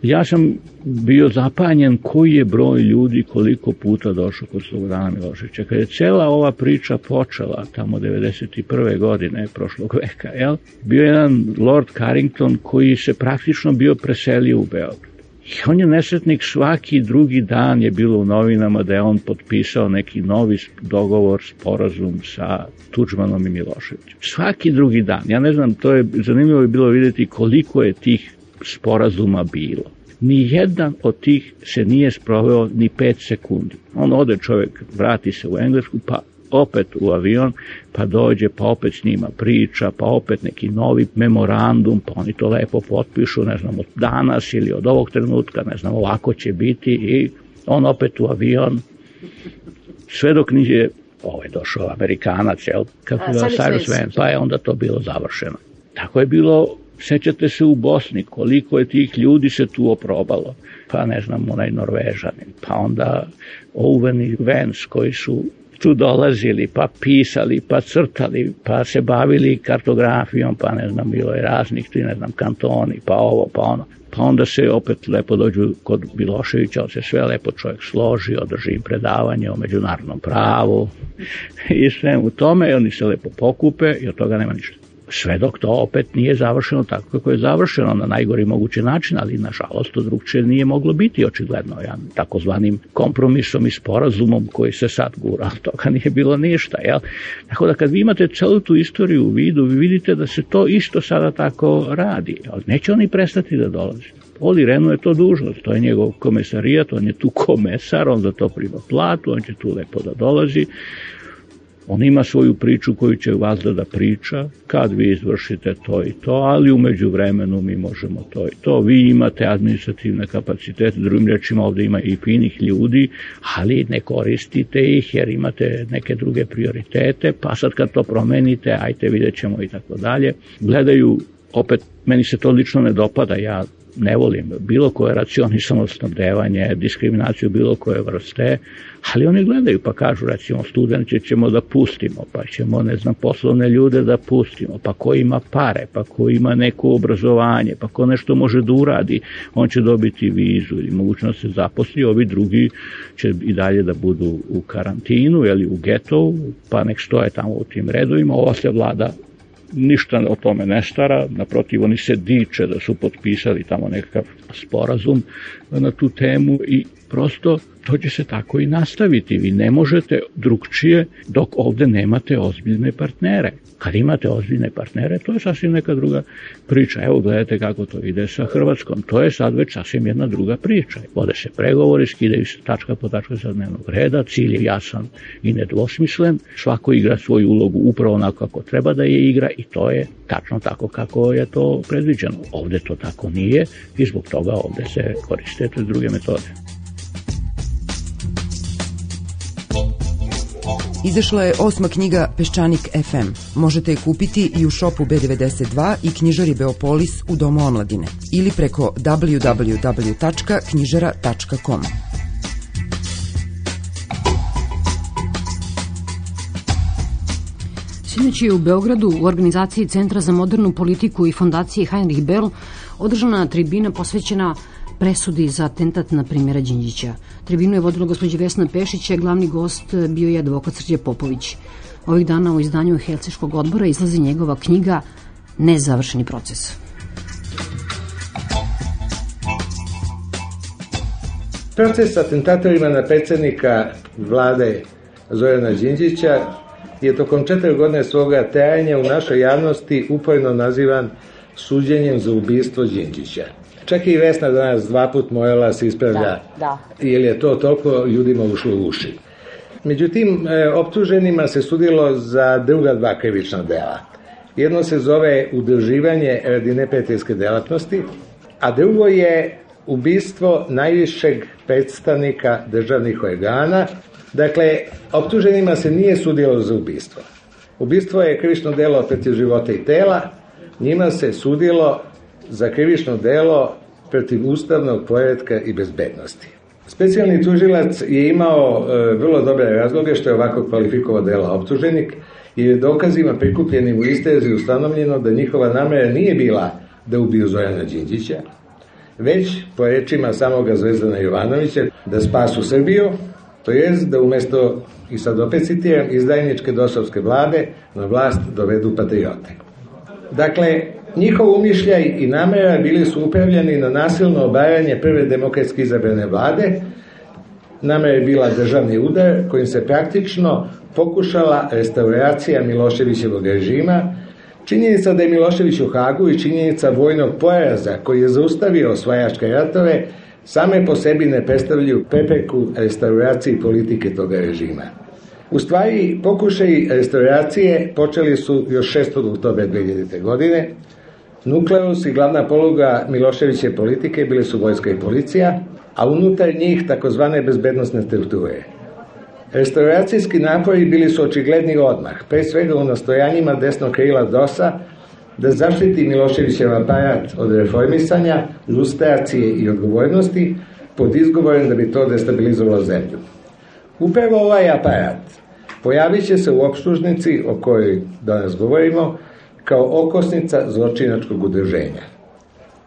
ja sam bio zapanjen koji je broj ljudi koliko puta došao kod Slobodana Miloševića. Kad je cela ova priča počela tamo devedeset prve godine prošlog veka, jel? Bio jedan Lord Carrington koji se praktično bio preselio u Beograd. I on je nesretnik, svaki drugi dan je bilo u novinama da je on potpisao neki novi dogovor, sporazum sa Tudžmanom i Miloševićem. Svaki drugi dan. Ja ne znam, to je zanimljivo je bilo vidjeti koliko je tih sporazuma bilo. Nijedan od tih se nije sproveo ni pet sekundi. On ode, čovjek, vrati se u Englesku, pa opet u avion, pa dođe, pa opet s njima priča, pa opet neki novi memorandum, pa oni to lepo potpišu, ne znam, od danas ili od ovog trenutka, ne znam, ovako će biti, i on opet u avion, sve dok nije ovaj došao Amerikanac, jel, kako ga Cyrus Vance, pa je onda to bilo završeno. Tako je bilo. Sećate se u Bosni koliko je tih ljudi se tu oprobalo, pa ne znam, onaj Norvežanin, pa onda Owen i Vance koji su tu dolazili, pa pisali, pa crtali, pa se bavili kartografijom, pa ne znam, bilo je raznih, ti ne znam, kantoni, pa ovo, pa ono. Pa onda se opet lepo dođu kod Miloševića, on se sve lepo čovjek složi, održi im predavanje o međunarodnom pravu i sve u tome, i oni se lepo pokupe i od toga nema ništa. sve dok to opet nije završeno tako kako je završeno na najgori mogući način, ali nažalost to drugčije nije moglo biti očigledno, ja, takozvanim kompromisom i sporazumom koji se sad gura, ali toga nije bilo ništa. Jel? Tako da kad vi imate celu tu istoriju u vidu, vi vidite da se to isto sada tako radi, ali neće oni prestati da dolazi. Oli Renu je to dužnost, to je njegov komesarijat, on je tu komesar, on za to prima platu, on će tu lepo da dolazi. On ima svoju priču koju će vazda da priča, kad vi izvršite to i to, ali umeđu vremenu mi možemo to i to. Vi imate administrativne kapacitete, drugim rečima ovde ima i finih ljudi, ali ne koristite ih jer imate neke druge prioritete, pa sad kad to promenite, ajte vidjet ćemo i tako dalje. Gledaju, opet, meni se to lično ne dopada, ja ne volim bilo koje racionisano snabdevanje, diskriminaciju bilo koje vrste, ali oni gledaju pa kažu, recimo, studente ćemo da pustimo, pa ćemo, ne znam, poslovne ljude da pustimo, pa ko ima pare, pa ko ima neko obrazovanje, pa ko nešto može da uradi, on će dobiti vizu ili mogućnost se zaposli, ovi drugi će i dalje da budu u karantinu ili u getovu, pa nek stoje tamo u tim redovima, ova se vlada ništa o tome ne stara, naprotiv oni se diče da su potpisali tamo nekakav sporazum na tu temu i prosto to će se tako i nastaviti. Vi ne možete drugčije dok ovde nemate ozbiljne partnere. Kad imate ozbiljne partnere, to je sasvim neka druga priča. Evo gledajte kako to ide sa Hrvatskom. To je sad već sasvim jedna druga priča. Vode se pregovori, skidaju se tačka po tačka sa dnevnog reda, cilj je jasan i nedvosmislen. Svako igra svoju ulogu upravo onako kako treba da je igra i to je tačno tako kako je to predviđeno. Ovde to tako nije i zbog toga ovde se koriste te druge metode. Izašla je osma knjiga Peščanik ef em. Možete je kupiti i u šopu be devedeset dva i knjižari Beopolis u Domu omladine ili preko w w w tačka knjižara tačka com. Sinoć je u Beogradu u organizaciji Centra za modernu politiku i fondacije Heinrich Böll održana tribina posvećena presudi za atentat na premijera Đinđića. Tribinu je vodila gospođa Vesna Pešić, a glavni gost bio je advokat Srđe Popović. Ovih dana u izdanju Helsinškog odbora izlazi njegova knjiga Nezavršeni proces. Proces atentatorima na predsjednika vlade Zorana Đinđića je tokom četiri godine svoga trajanja u našoj javnosti uporno nazivan suđenjem za ubistvo Đinđića. Čak i Vesna danas dva put morala se ispravlja, da, da. Jer je to toliko ljudima ušlo u uši. Međutim, optuženima se sudilo za druga dva krivična dela. Jedno se zove udruživanje radi neprijateljske delatnosti, a drugo je ubistvo najvišeg predstavnika državnih organa. Dakle, optuženima se nije sudilo za ubistvo. Ubistvo je krivično delo protiv života i tela, njima se sudilo za krivično delo protiv ustavnog poretka i bezbednosti. Specijalni tužilac je imao e, vrlo dobre razloge što je ovako kvalifikovao dela optuženik, jer je dokazima prikupljenim u istrazi ustanovljeno da njihova namera nije bila da ubiju Zorana Đinđića, već, po rečima samoga Zvezdana Jovanovića, da spasu Srbiju, to jest da umesto, i sad opet citiram, izdajničke dosovske vlade na vlast dovedu patriote. Dakle, njihov umišljaj i namera bili su upravljeni na nasilno obaranje prve demokratski izabrane vlade. Namera je bila državni udar kojim se praktično pokušala restauracija Miloševićevog režima. Činjenica da je Milošević u Hagu i činjenica vojnog poraza koji je zaustavio osvajačke ratove same po sebi ne predstavljaju prepreku restauraciji politike toga režima. U stvari, pokušaji restauracije počeli su još šestog oktobra dve hiljadite. godine. Nukleus i glavna poluga Miloševićeve politike bili su vojska i policija, a unutar njih takozvane bezbednostne strukture. Restauracijski napori bili su očigledni odmah, pre svega u nastojanjima desnog krila dosa da zaštiti Miloševićev aparat od reformisanja, lustracije i odgovornosti pod izgovorom da bi to destabilizovalo zemlju. Upravo ovaj aparat pojavit će se u optužnici o kojoj danas govorimo kao okosnica zločinačkog udruženja.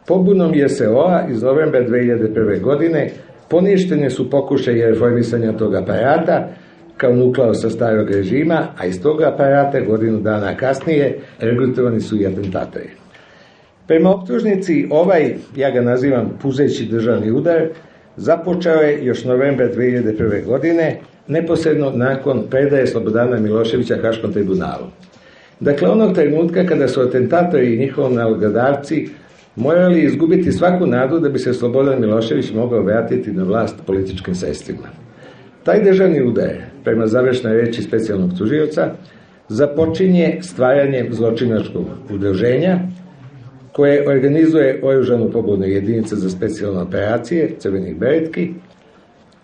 Pobunom je se ova iz novembra dve hiljade prve. godine poništene su pokušaje reformisanja tog aparata, kao nukleo sa starog režima, a iz toga aparata godinu dana kasnije regrutovani su i atentatori. Prema optužnici, ovaj, ja ga nazivam puzeći državni udar, započeo je još novembra dve hiljade prve. godine, neposredno nakon predaje Slobodana Miloševića Haškom tribunalu. Dakle, onog trenutka kada su atentatori i njihovi nalogodavci morali izgubiti svaku nadu da bi se Slobodan Milošević mogao vratiti na vlast političkim sredstvima. Taj državni udar, prema završnoj reči specijalnog tužioca, započinje stvaranjem zločinačkog udruženja koje organizuje oružanu pobunu jedinica za specijalne operacije, crvenih beretki,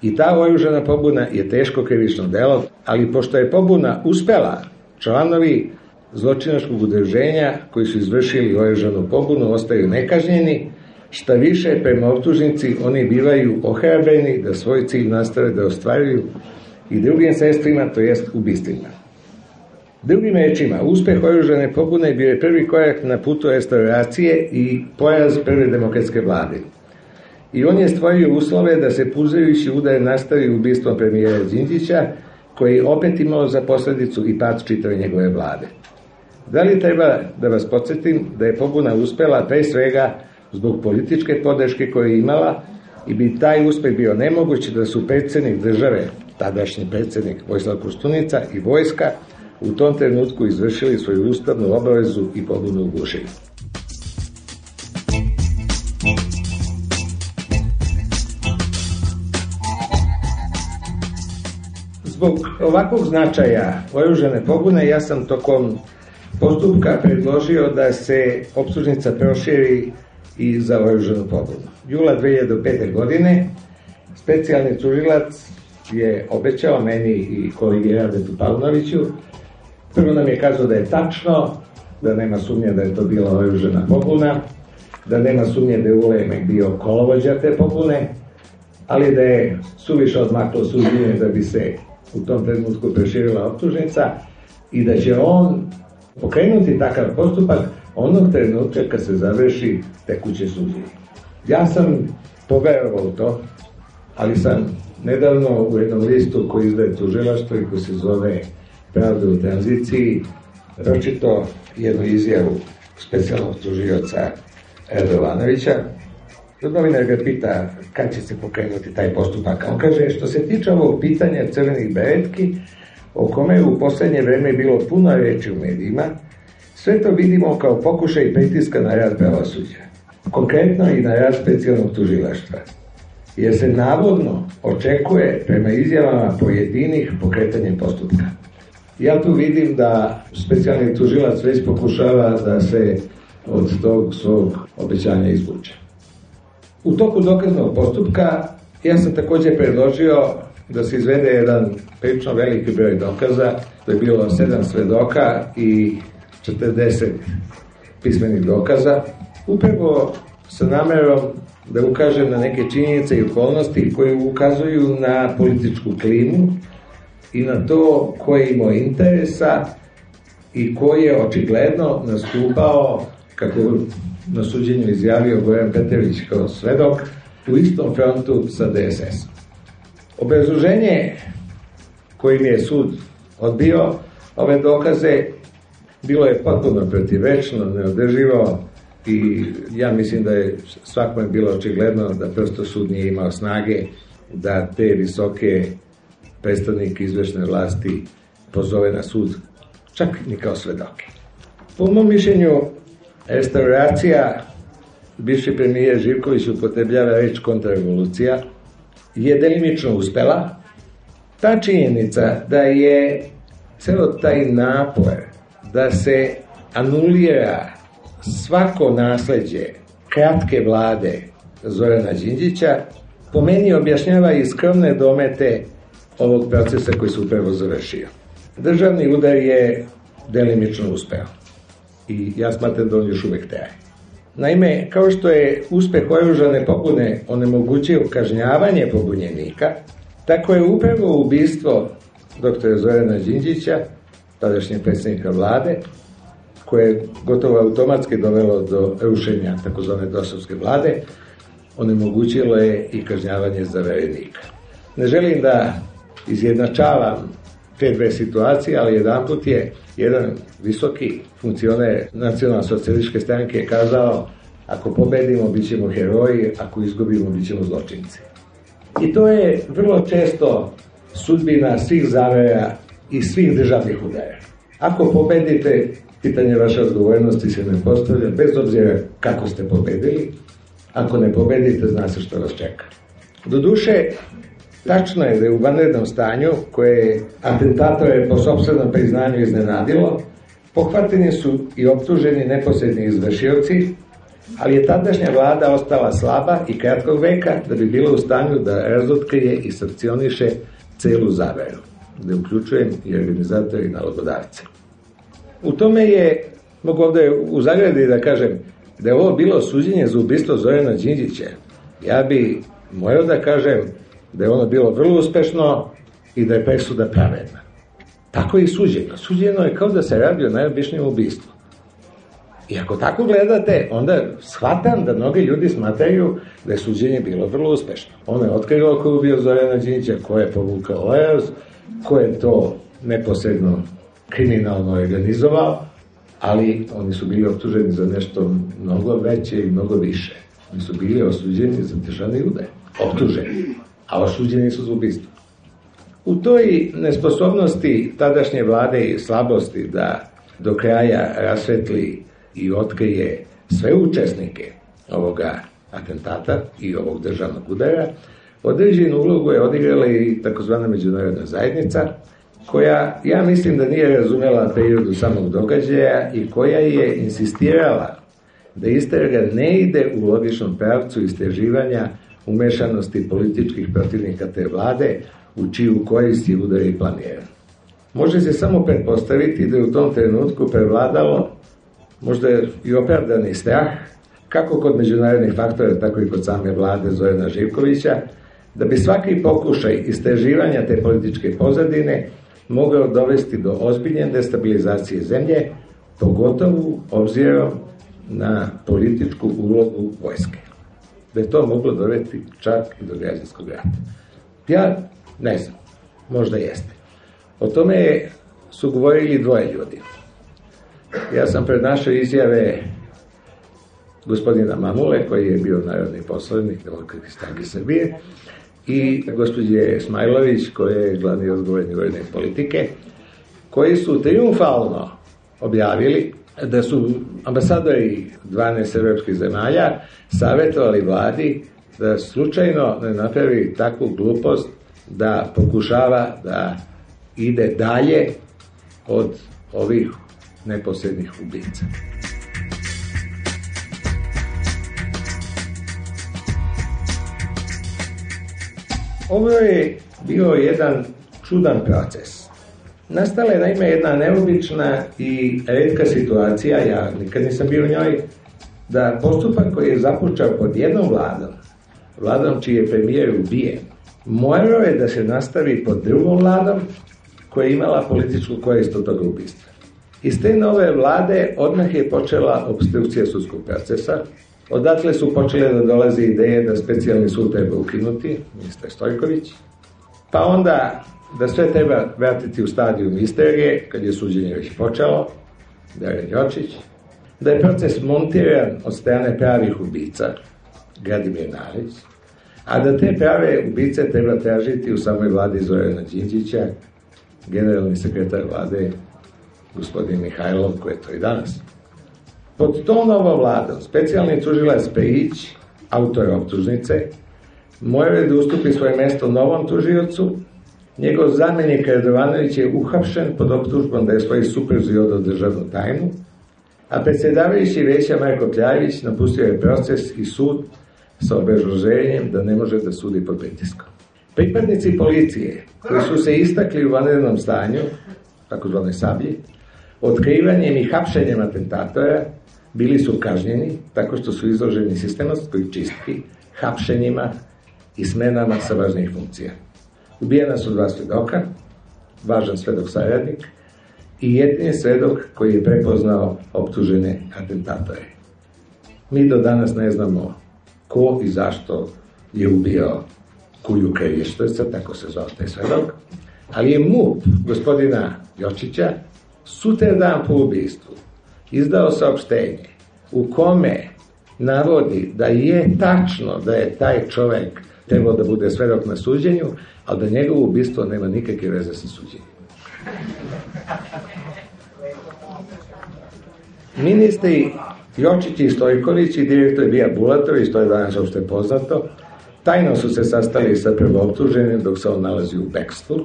i ta oružana pobuna je teško krivično delo, ali pošto je pobuna uspela, članovi zločinačkog udruženja koji su izvršili oružanu pobunu ostaju nekažnjeni, šta više, prema optužnici oni bivaju ohrabreni da svoj cilj nastave da ostvaruju i drugim sredstvima, to jest ubistvima. Drugim rečima, uspeh oružane pobune bio je prvi korak na putu restauracije i poraz prve demokratske vlade. I on je stvorio uslove da se puzajući udar nastavi ubistvom premijera Đinđića, koji je opet imao za posledicu i pad čitave njegove vlade. Da li treba da vas podsjetim da je pobuna uspela pre svega zbog političke podrške koju je imala i bi taj uspeh bio nemoguć da su predsjednik države, tadašnji predsjednik Vojislav Koštunica i vojska u tom trenutku izvršili svoju ustavnu obavezu i pobunu ugušili. Zbog ovakvog značaja oružane pobune ja sam tokom postupka predložio da se optužnica proširi i za oružanu pobunu. Jula dve hiljade pete. godine specijalni tužilac je obećao meni i kolegi Radetu Paunoviću. Prvo nam je kazao da je tačno, da nema sumnje da je to bila oružana pobuna, da nema sumnje da je Ulemek bio kolovođa te pobune, ali da je suviše odmaklo suđenje da bi se u tom trenutku proširila optužnica i da će on pokrenuti takav postupak onog trenutka kad se završi tekuće suđenje. Ja sam poverovao u to, ali sam nedavno u jednom listu koji izdaje tužilaštvo i koji se zove Pravda u tranziciji pročitao jednu izjavu specijalnog tužioca Radovanovića. Novinar ga pita kad će se pokrenuti taj postupak. On kaže, što se tiče ovog pitanja crvenih beretki, o kome je u poslednje vreme bilo puno reči u medijima, sve to vidimo kao pokušaj pritiska na rad pravosuđa, konkretno i na rad specijalnog tužilaštva, jer se navodno očekuje prema izjavama pojedinih pokretanjem postupka. Ja tu vidim da specijalni tužilac već pokušava da se od tog svog obećanja izvuče. U toku dokaznog postupka ja sam također predložio da se izvede jedan prilično veliki broj dokaza, to je bilo sedam svedoka i četrdeset pismenih dokaza, upravo sa namerom da ukažem na neke činjenice i okolnosti koje ukazuju na političku klimu i na to ko je imao interesa i ko je očigledno nastupao, kako na suđenju izjavio Goran Petrović kao svedok, u istom frontu sa D S S. Obrazloženje kojim je sud odbio ove dokaze bilo je potpuno protivrečno, neodrživo i ja mislim da je svakome bilo očigledno da prosto sud nije imao snage da te visoke predstavnike izvršne vlasti pozove na sud, čak ni kao svedoke. Po mom mišljenju, restauracija, bivši premijer Živković upotrebljava reč kontrarevolucija, je delimično uspela. Ta činjenica da je celo taj napor da se anulira svako nasleđe kratke vlade Zorana Đinđića, po meni objašnjava i skromne domete ovog procesa koji se upravo završio. Državni udar je delimično uspeo i ja smatram da on još uvek traje. Naime, kao što je uspeh oružane pobune onemogućio kažnjavanje pobunjenika, tako je upravo ubistvo doktora Zorana Đinđića, tadašnjeg predsjednika vlade, koje je gotovo automatski dovelo do rušenja takozvane dosovske vlade, onemogućilo je i kažnjavanje zaverenika. Ne želim da izjednačavam te dve situacije, ali jedan put je jedan visoki funkcioner nacionalno-socijalističke stranke kazao: ako pobedimo, bit ćemo heroji, ako izgubimo, bit ćemo zločinci. I to je vrlo često sudbina svih zavera i svih državnih udara. Ako pobedite, pitanje vaše odgovornosti se ne postavlja, bez obzira kako ste pobedili. Ako ne pobedite, zna se što vas čeka. Doduše, tačno je da je u vanrednom stanju, koje atentatore po sopstvenom priznanju iznenadilo, pohvateni su i optuženi neposredni izvršioci, ali je tadašnja vlada ostala slaba i kratkog veka da bi bila u stanju da razotkrije i sankcioniše celu zaveru, da uključujem i organizatori i nalogodavce. U tome je, mogu ovde u zagradi da kažem, da je ovo bilo suđenje za ubistvo Zorana Đinđića. Ja bi morao da kažem da je ono bilo vrlo uspešno i da je presuda pravedna. Tako je i suđeno. Suđeno je kao da se radi o najobičnijem ubistvu. I ako tako gledate, onda shvatam da mnogi ljudi smatraju da je suđenje bilo vrlo uspešno. Ono je otkrilo ko je ubio Zorana Đinđića, ko je povukao Ojas, ko je to neposredno kriminalno organizovao, ali oni su bili optuženi za nešto mnogo veće i mnogo više. Oni su bili osuđeni za državni udar. Optuženi, a osuđeni su za ubistvo. U toj nesposobnosti tadašnje vlade i slabosti da do kraja rasvetli i otkrije sve učesnike ovoga atentata i ovog državnog udara, određenu ulogu je odigrala i takozvana međunarodna zajednica, koja, ja mislim da nije razumela periodu samog događaja i koja je insistirala da istraga ne ide u logičnom pravcu istraživanja umešanosti političkih protivnika te vlade, u čiju korist je udar i planiran. Može se samo pretpostaviti da je u tom trenutku prevladalo možda i opravdani strah, kako kod međunarodnih faktora, tako i kod same vlade Zorana Živkovića, da bi svaki pokušaj istraživanja te političke pozadine mogao dovesti do ozbiljne destabilizacije zemlje, pogotovo obzirom na političku ulogu vojske. Da je to moglo dovesti čak i do građanskog rata. Ja ne znam, možda jeste. O tome su govorili dvoje ljudi. Ja sam prenašao izjave gospodina Mamule, koji je bio narodni poslanik Demokratske stranke Srbije, i gospođe Smajlović, koja je glavni odgovorni vojne politike, koji su triumfalno objavili da su ambasadori dvanaest evropskih zemalja savjetovali vladi da slučajno ne napravi takvu glupost da pokušava da ide dalje od ovih neposrednih ubica. Ovo je bio jedan čudan proces. Nastala je naime jedna neobična i retka situacija, ja nikad nisam bio u njoj, da postupak koji je započeo pod jednom vladom, vladom čiji je premijer ubijen, morao je da se nastavi pod drugom vladom koja je imala političku korist od toga ubistva. Iz te nove vlade odmah je počela obstrukcija sudskog procesa. Odatle su počele da dolaze ideje da specijalni sud treba ukinuti, ministar Stojković, pa onda da sve treba vratiti u stadijum istrage, kad je suđenje već počelo, Dragan Jočić, da je proces montiran od strane pravih ubica, Gradimir Narić, a da te prave ubice treba tražiti u samoj vladi Zorana Đinđića, generalni sekretar vlade, gospodin Mihajlov, koji je to i danas. Pod tom novom vladom, specijalni tužilac Pejić, autor optužnice, morao je da ustupi svoje mesto novom tužiocu. Njegov zamenik Radovanović je uhapšen pod optužbom da je svoj supruzi odao državnu tajnu, a predsjedavajući veća Marko Kljajević napustio je proces i sud sa obrazloženjem da ne može da sudi pod pritiskom. Pripadnici policije, koji su se istakli u vanrednom stanju, takozvanoj Sablji, otkrivanjem i hapšenjem atentatora, bili su kažnjeni tako što su izloženi sistematskoj čistki, hapšenjima i smenama sa važnih funkcija. Ubijena su dva svedoka, važan svedok saradnik i jedini svedok koji je prepoznao optužene atentatore. Mi do danas ne znamo ko i zašto je ubio Kuju Krevještojca, tako se zvao taj svedok, Ali je M U P gospodina Jočića sutradan po ubistvu izdao saopštenje u kome navodi da je tačno da je taj čovek trebao da bude svedok na suđenju, ali da njegovo ubistvo nema nikakve veze sa suđenjem. Ministri Jočić i Stojković i direktor Bija Bulatović, to je danas uopšte poznato, tajno su se sastali sa prvooptuženim dok se on nalazi u bekstvu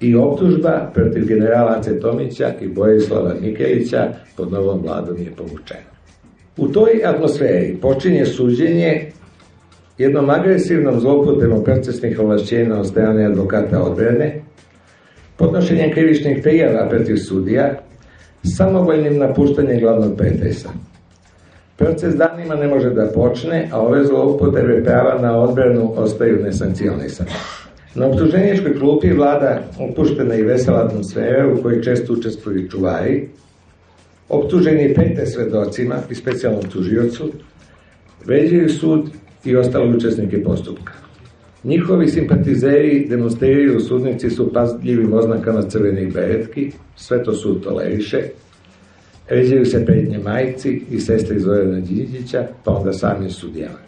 i optužba protiv generala Ace Tomića i Borislava Mikelića pod novom vladom je povučena. U toj atmosferi počinje suđenje jednom agresivnom zloupotrebom procesnih ovlašćenja od strane advokata odbrane, podnošenjem krivičnih prijava protiv sudija, samovoljnim napuštanjem glavnog pretresa. Proces danima ne može da počne, a ove zloupotrebe prava na odbranu ostaju nesankcionisane. Na optuženičkoj klupi vlada opuštena i vesela atmosfera u kojoj često učestvuju čuvari, optuženi prete svedocima i specijalnom tužiocu, vređaju sud i ostale učesnike postupka. Njihovi simpatizeri demonstriraju u sudnici su pažljivim oznakama crvenih beretki, sve to sud toleriše, ređaju se pretnje majci i sestri Zorana Đinđića, pa onda sami sudijama.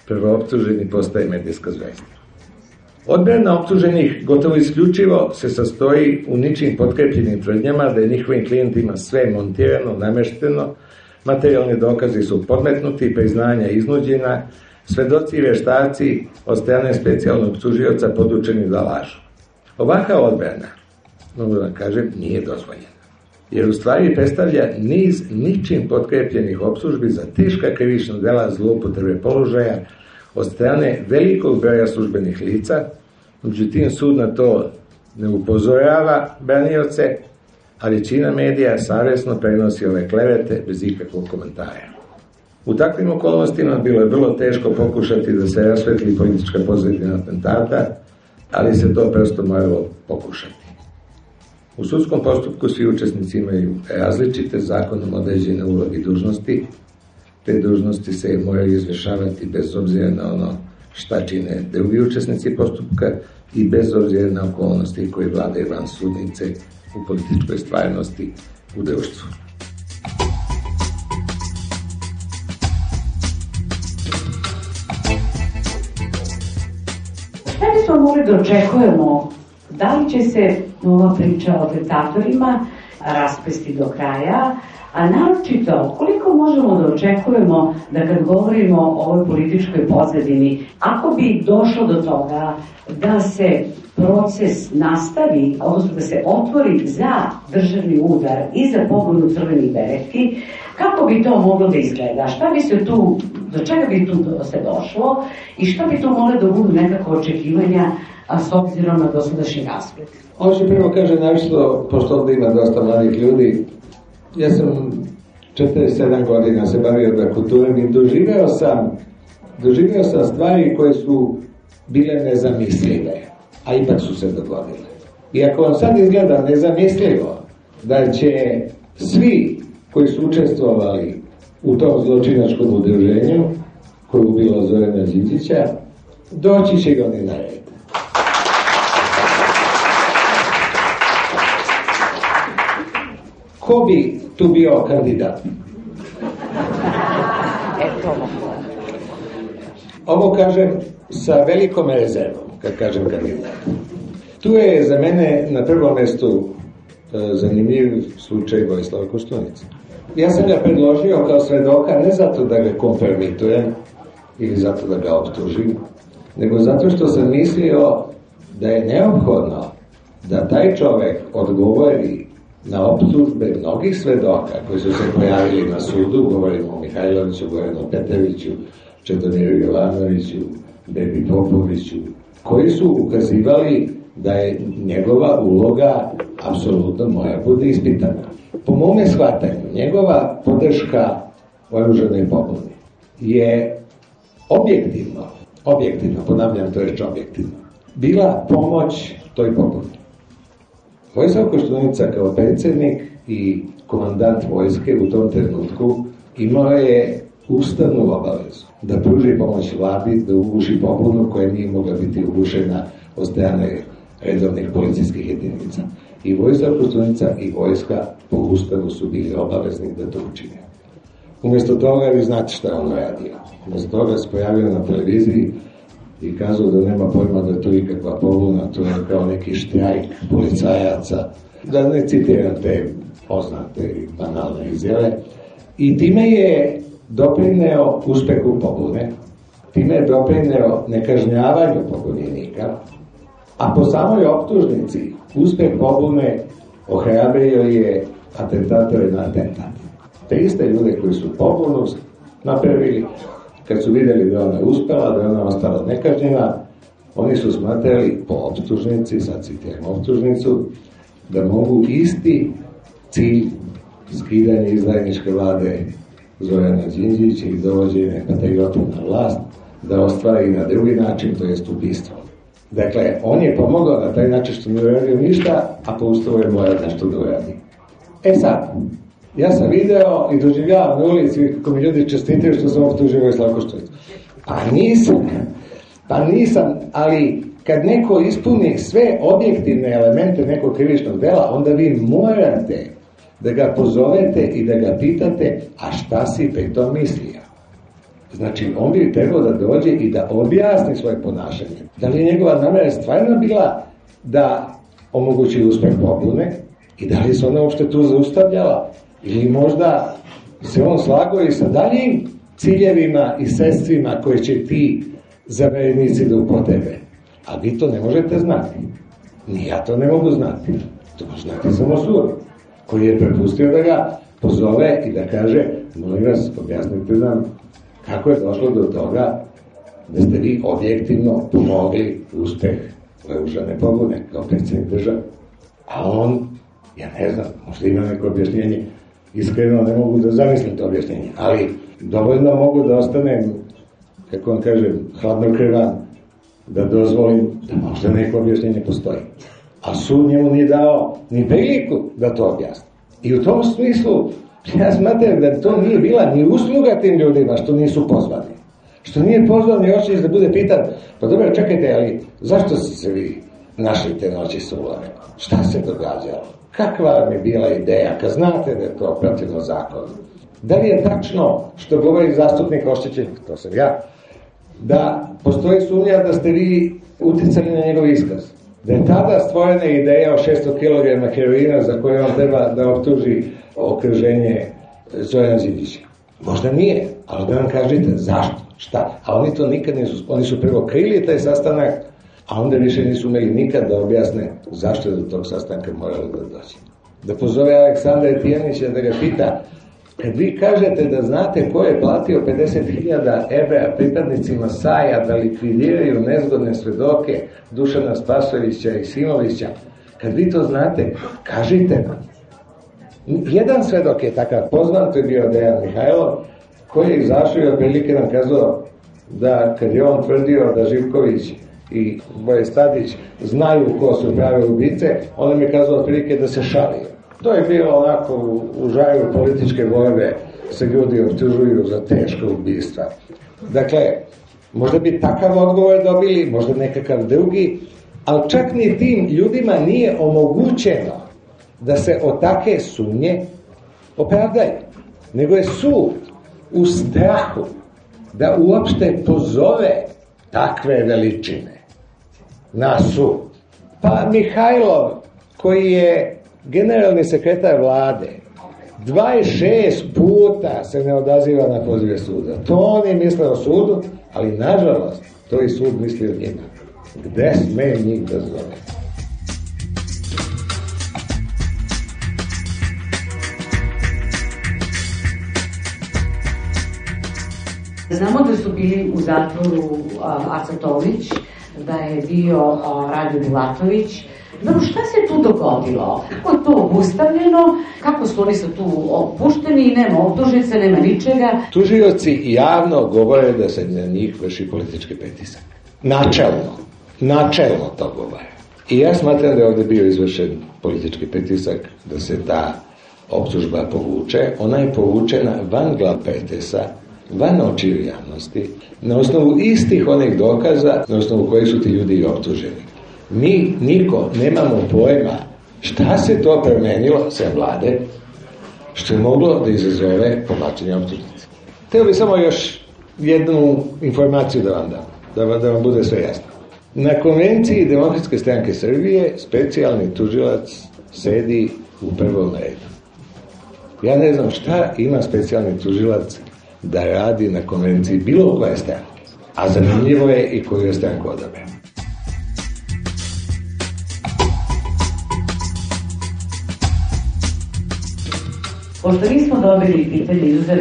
Prvooptuženi postaje medijska zvezda. Odbrana optuženih gotovo isključivo se sastoji u ničim potkrepljenim tvrdnjama da je njihovim klijentima sve montirano, namešteno, materijalni dokazi su podmetnuti, priznanja iznuđena, svedoci i veštaci od strane specijalnog tužioca podučeni da lažu. Ovaka odbrana, mogu da kažem, nije dozvoljena, jer u stvari predstavlja niz ničim potkrepljenih optužbi za teška krivična dela zloupotrebe položaja od strane velikog broja službenih lica, međutim sud na to ne upozorava branioce, a većina medija savjesno prenosi ove klevete bez ikakvog komentara. U takvim okolnostima bilo je vrlo teško pokušati da se rasvetli politička pozadina atentata, ali se to prosto moralo pokušati. U sudskom postupku svi učesnici imaju različite zakonom određene uloge i dužnosti. Te dužnosti se moraju izvršavati bez obzira na ono šta čine drugi učesnici postupka i bez obzira na okolnosti koje vladaju van sudnice u političkoj stvarnosti u društvu. Šta bismo mogli da očekujemo? Da li će se ova priča o atentatorima raspesti do kraja, a naročito koliko možemo da očekujemo da kad govorimo o ovoj političkoj pozadini, ako bi došlo do toga da se proces nastavi, odnosno da se otvori za državni udar i za pobunu crvenih beretki, kako bi to moglo da izgleda? Šta bi se tu, do čega bi tu se došlo i šta bi tu moglo da budu nekako očekivanja, a s obzirom na dosadašnji rasplet? Ovo ću prvo kaže navišto, pošto ovdje ima dosta mladih ljudi, ja sam četrdeset sedam godina se bavio da kulturom i doživeo sam, doživeo sam stvari koje su bile nezamislive, a ipak su se dogodile. I ako vam sad izgleda nezamislivo da će svi koji su učestvovali u tom zločinačkom udruženju, koje je ubilo Zorana Đinđića, doći će ga oni na red. Ko bi tu bio kandidat? Ovo kažem sa velikom rezervom, kad kažem kandidat. Tu je za mene na prvom mestu e, zanimljiv slučaj Vojislava Koštunice. Ja sam ga predložio kao svedoka ne zato da ga kompromitujem ili zato da ga optužim, nego zato što sam mislio da je neophodno da taj čovek odgovori na optužbe mnogih svedoka koji su se pojavili na sudu, govorimo o Mihajloviću, govorimo o Peteviću, Čedomiru Jovanoviću, Bebi Popoviću, koji su ukazivali da je njegova uloga apsolutno moja bude ispitana. Po mome shvatanju, njegova podrška oružanoj pobuni je objektivno, objektivno, ponavljam to reč objektivno, bila pomoć toj pobuni. Vojislav Koštunica kao predsjednik i komandant vojske u tom trenutku imao je ustavnu obavezu da pruži pomoć vladi, da uguši pobunu koja nije mogla biti ugušena od strane redovnih policijskih jedinica. I vojska Koštunica i vojska po ustavu su bili obavezni da to učine. Umjesto toga, vi znate šta je on radio. Umjesto toga se pojavio na televiziji i kazao da nema pojma da je to ikakva pobuna, to je kao neki štrajk policajaca, da ne citiram te poznate i banalne izjave. I time je doprineo uspehu pobune, time je doprineo nekažnjavanju pobunjenika, a po samoj optužnici uspeh pobune ohrabrio je atentatore na atentat. Te iste ljude koji su pobunu napravili, kad su vidjeli da ona je uspela, da je ona ostala nekažnjena, oni su smatrali po optužnici, sad citiram optužnicu, da mogu isti cilj skidanje izdajničke vlade Zorana Đinđića i dovođenje patriota na vlast da ostvari i na drugi način, to jest ubistvo. Dakle, on je pomogao na taj način što ne uradio ništa, a po ustavu je morao nešto da uradi. E sad, ja sam video i doživljavam na ulici kako mi ljudi čestitaju što sam optužio Vojislava Koštunicu. Pa nisam, pa nisam, ali kad neko ispuni sve objektivne elemente nekog krivičnog dela, onda vi morate da ga pozovete i da ga pitate, a šta si pri tom mislio? Znači, on bi trebao da dođe i da objasni svoje ponašanje. Da li je njegova namera stvarno bila da omogući uspeh pobune i da li se ona uopšte tu zaustavljala? Ili možda se on slagao i sa daljim ciljevima i sredstvima koje će ti zaverenici da upotrebe. A vi to ne možete znati. Ni ja to ne mogu znati. To može znati samo sud, koji je prepustio da ga pozove i da kaže, molim vas, objasnite nam kako je došlo do toga da ste vi objektivno pomogli uspeh oružane pobune kao predsjednik države. A on, ja ne znam, možda ima neko objašnjenje, iskreno ne mogu da zamislim to objašnjenje, ali dovoljno mogu da ostanem, kako vam kažem, hladnokrvan, da dozvolim da možda neko objašnjenje postoji. A sud njemu nije dao ni priliku da to objasni. I u tom smislu, ja smatram da to nije bila ni usluga tim ljudima što nisu pozvani. Što nije pozvan ni očić da bude pitan, pa dobro, čekajte, ali zašto ste se vi našli te noći sa Ulanem? Šta se događalo? Kakva vam je bila ideja, kad znate da je to protivno zakonu? Da li je tačno što govori zastupnik oštećenih, to sam ja, da postoji sumnja da ste vi uticali na njegov iskaz? Da je tada stvorena ideja o šesto kilograma heroina za koje on treba da optuži okruženje Zorana Đinđića. Možda nije, ali da vam kažete zašto, šta. A oni to nikad nisu, oni su prvo krili taj sastanak, a onda više nisu umeli nikad da objasne zašto je do tog sastanka moralo da dođe. Da pozove Aleksandra Tijanića da ga pita, kad vi kažete da znate ko je platio pedeset hiljada evra pripadnicima Saja da likvidiraju nezgodne svedoke Dušana Spasojevića i Simovića, kad vi to znate, kažite nam. Jedan svedok je takav poznan, to je bio Dejan Mihajlov, koji je izašao i otprilike nam kazao da kad je on tvrdio da Živković i Boje Stadić znaju ko su prave ubice, on nam je kazao otprilike da se šalio. To je bilo onako u, u žaju političke borbe, se ljudi optužuju za teško ubistva. Dakle, možda bi takav odgovor dobili, možda nekakav drugi, ali čak ni tim ljudima nije omogućeno da se od take sumnje opravdaju. Nego je sud u strahu da uopšte pozove takve veličine na sud. Pa Mihajlov, koji je generalni sekretar vlade, dvadeset šest puta se ne odaziva na pozive suda. To on je mislio o sudu, ali nažalost to i sud misli o njima. Gde sme njih da zove? Znamo da su bili u zatvoru Aca Tomić, da je bio Rade Bulatović. Dobro, šta se tu dogodilo? Kako je to obustavljeno? Kako su oni sad tu opušteni i nema optužnice, nema ničega? Tužioci javno govore da se na njih vrši politički pritisak. Načelno. Načelno to govore. I ja smatram da je ovde bio izvršen politički pritisak da se ta optužba povuče. Ona je povučena van glav pretesa, van očiju javnosti, na osnovu istih onih dokaza na osnovu kojih su ti ljudi i optuženi. Mi niko nemamo pojma šta se to promenilo sve vlade što je moglo da izazove povlačenje optužnice. Hteo bi samo još jednu informaciju da vam dam, da, da vam bude sve jasno. Na konvenciji Demokratske stranke Srbije specijalni tužilac sedi u prvom redu. Ja ne znam šta ima specijalni tužilac da radi na konvenciji bilo koje stranke, a zanimljivo je i koju je stranku odabere. Pošto nismo dobili pitanje, izuzev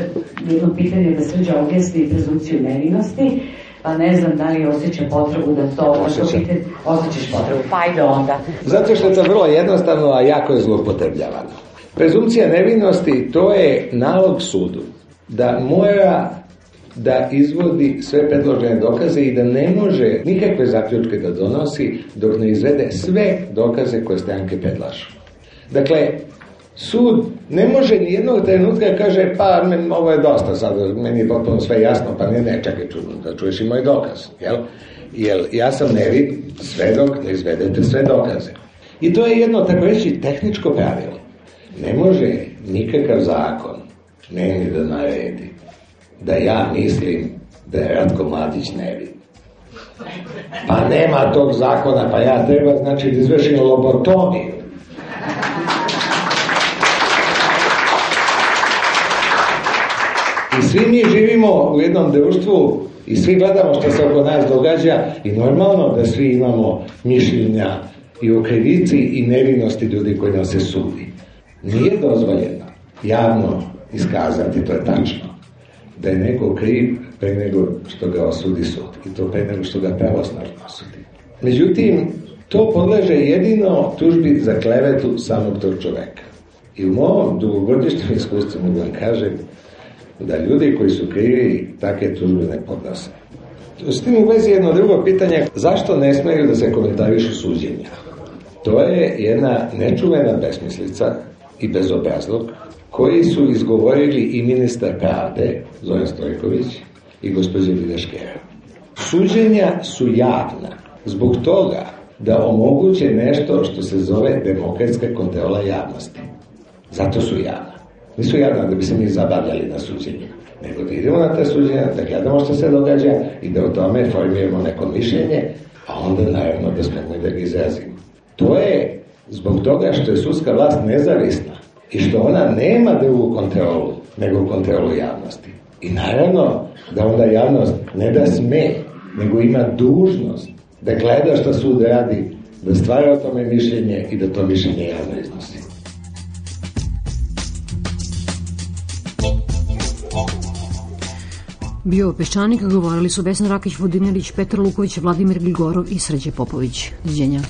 jedno pitanje da Srđa objasni prezumciju nevinosti, pa ne znam da li osjeća potrebu da to... Osjećam. Osjećaš potrebu, pa ajde onda. Zato što je to vrlo jednostavno, a jako je zloupotrebljavano. Prezumcija nevinosti, to je nalog sudu da mora da izvodi sve predložene dokaze i da ne može nikakve zaključke da donosi dok ne izvede sve dokaze koje stranke predlažu. Dakle, sud ne može ni jednog trenutka kaže pa men, ovo je dosta sad, meni je potpuno sve jasno, pa ne, ne, čekaj čudno, da čuješ i moj dokaz, jel? Jel, ja sam nevin sve dok ne izvedete sve dokaze. I to je jedno, tako reći, tehničko pravilo. Ne može nikakav zakon meni da naredi da ja mislim da je Ratko Mladić nevin. Pa nema tog zakona, pa ja treba, znači, da izvršim lobotomiju. I svi mi živimo u jednom društvu i svi gledamo što se oko nas događa i normalno da svi imamo mišljenja i o krivici i nevinosti ljudi koji nas se sudi. Nije dozvoljeno javno iskazati, to je tačno, da je neko kriv pre nego što ga osudi sud i to pre nego što ga pravosnažno osudi. Međutim, to podleže jedino tužbi za klevetu samog tog čoveka. I u mom dugogodišnjem iskustvu mogu vam kažem da ljudi koji su krivi takve tužbe ne podnose. S tim u vezi jedno drugo pitanje, zašto ne smeju da se komentarišu suđenja? To je jedna nečuvena besmislica i bezobrazluk koji su izgovorili i ministar pravde Zoran Stojković i gospođa Videškera. Suđenja su javna zbog toga da omoguće nešto što se zove demokratska kontrola javnosti. Zato su javna. Nisu javna da bi se mi zabavljali na suđenjima, nego da idemo na te suđenja, da gledamo što se događa i da o tome formiramo neko mišljenje, a onda naravno da smemo i da ga izrazimo. To je zbog toga što je sudska vlast nezavisna i što ona nema drugu kontrolu nego kontrolu javnosti. I naravno da onda javnost ne da sme, nego ima dužnost da gleda što sud radi, da stvara o tome mišljenje i da to mišljenje javno iznosi. Bio Peščanik, govorili su Vesna Rakić-Vodinelić, Petar Luković, Vladimir Gligorov i Srđe Popović. Doviđenja.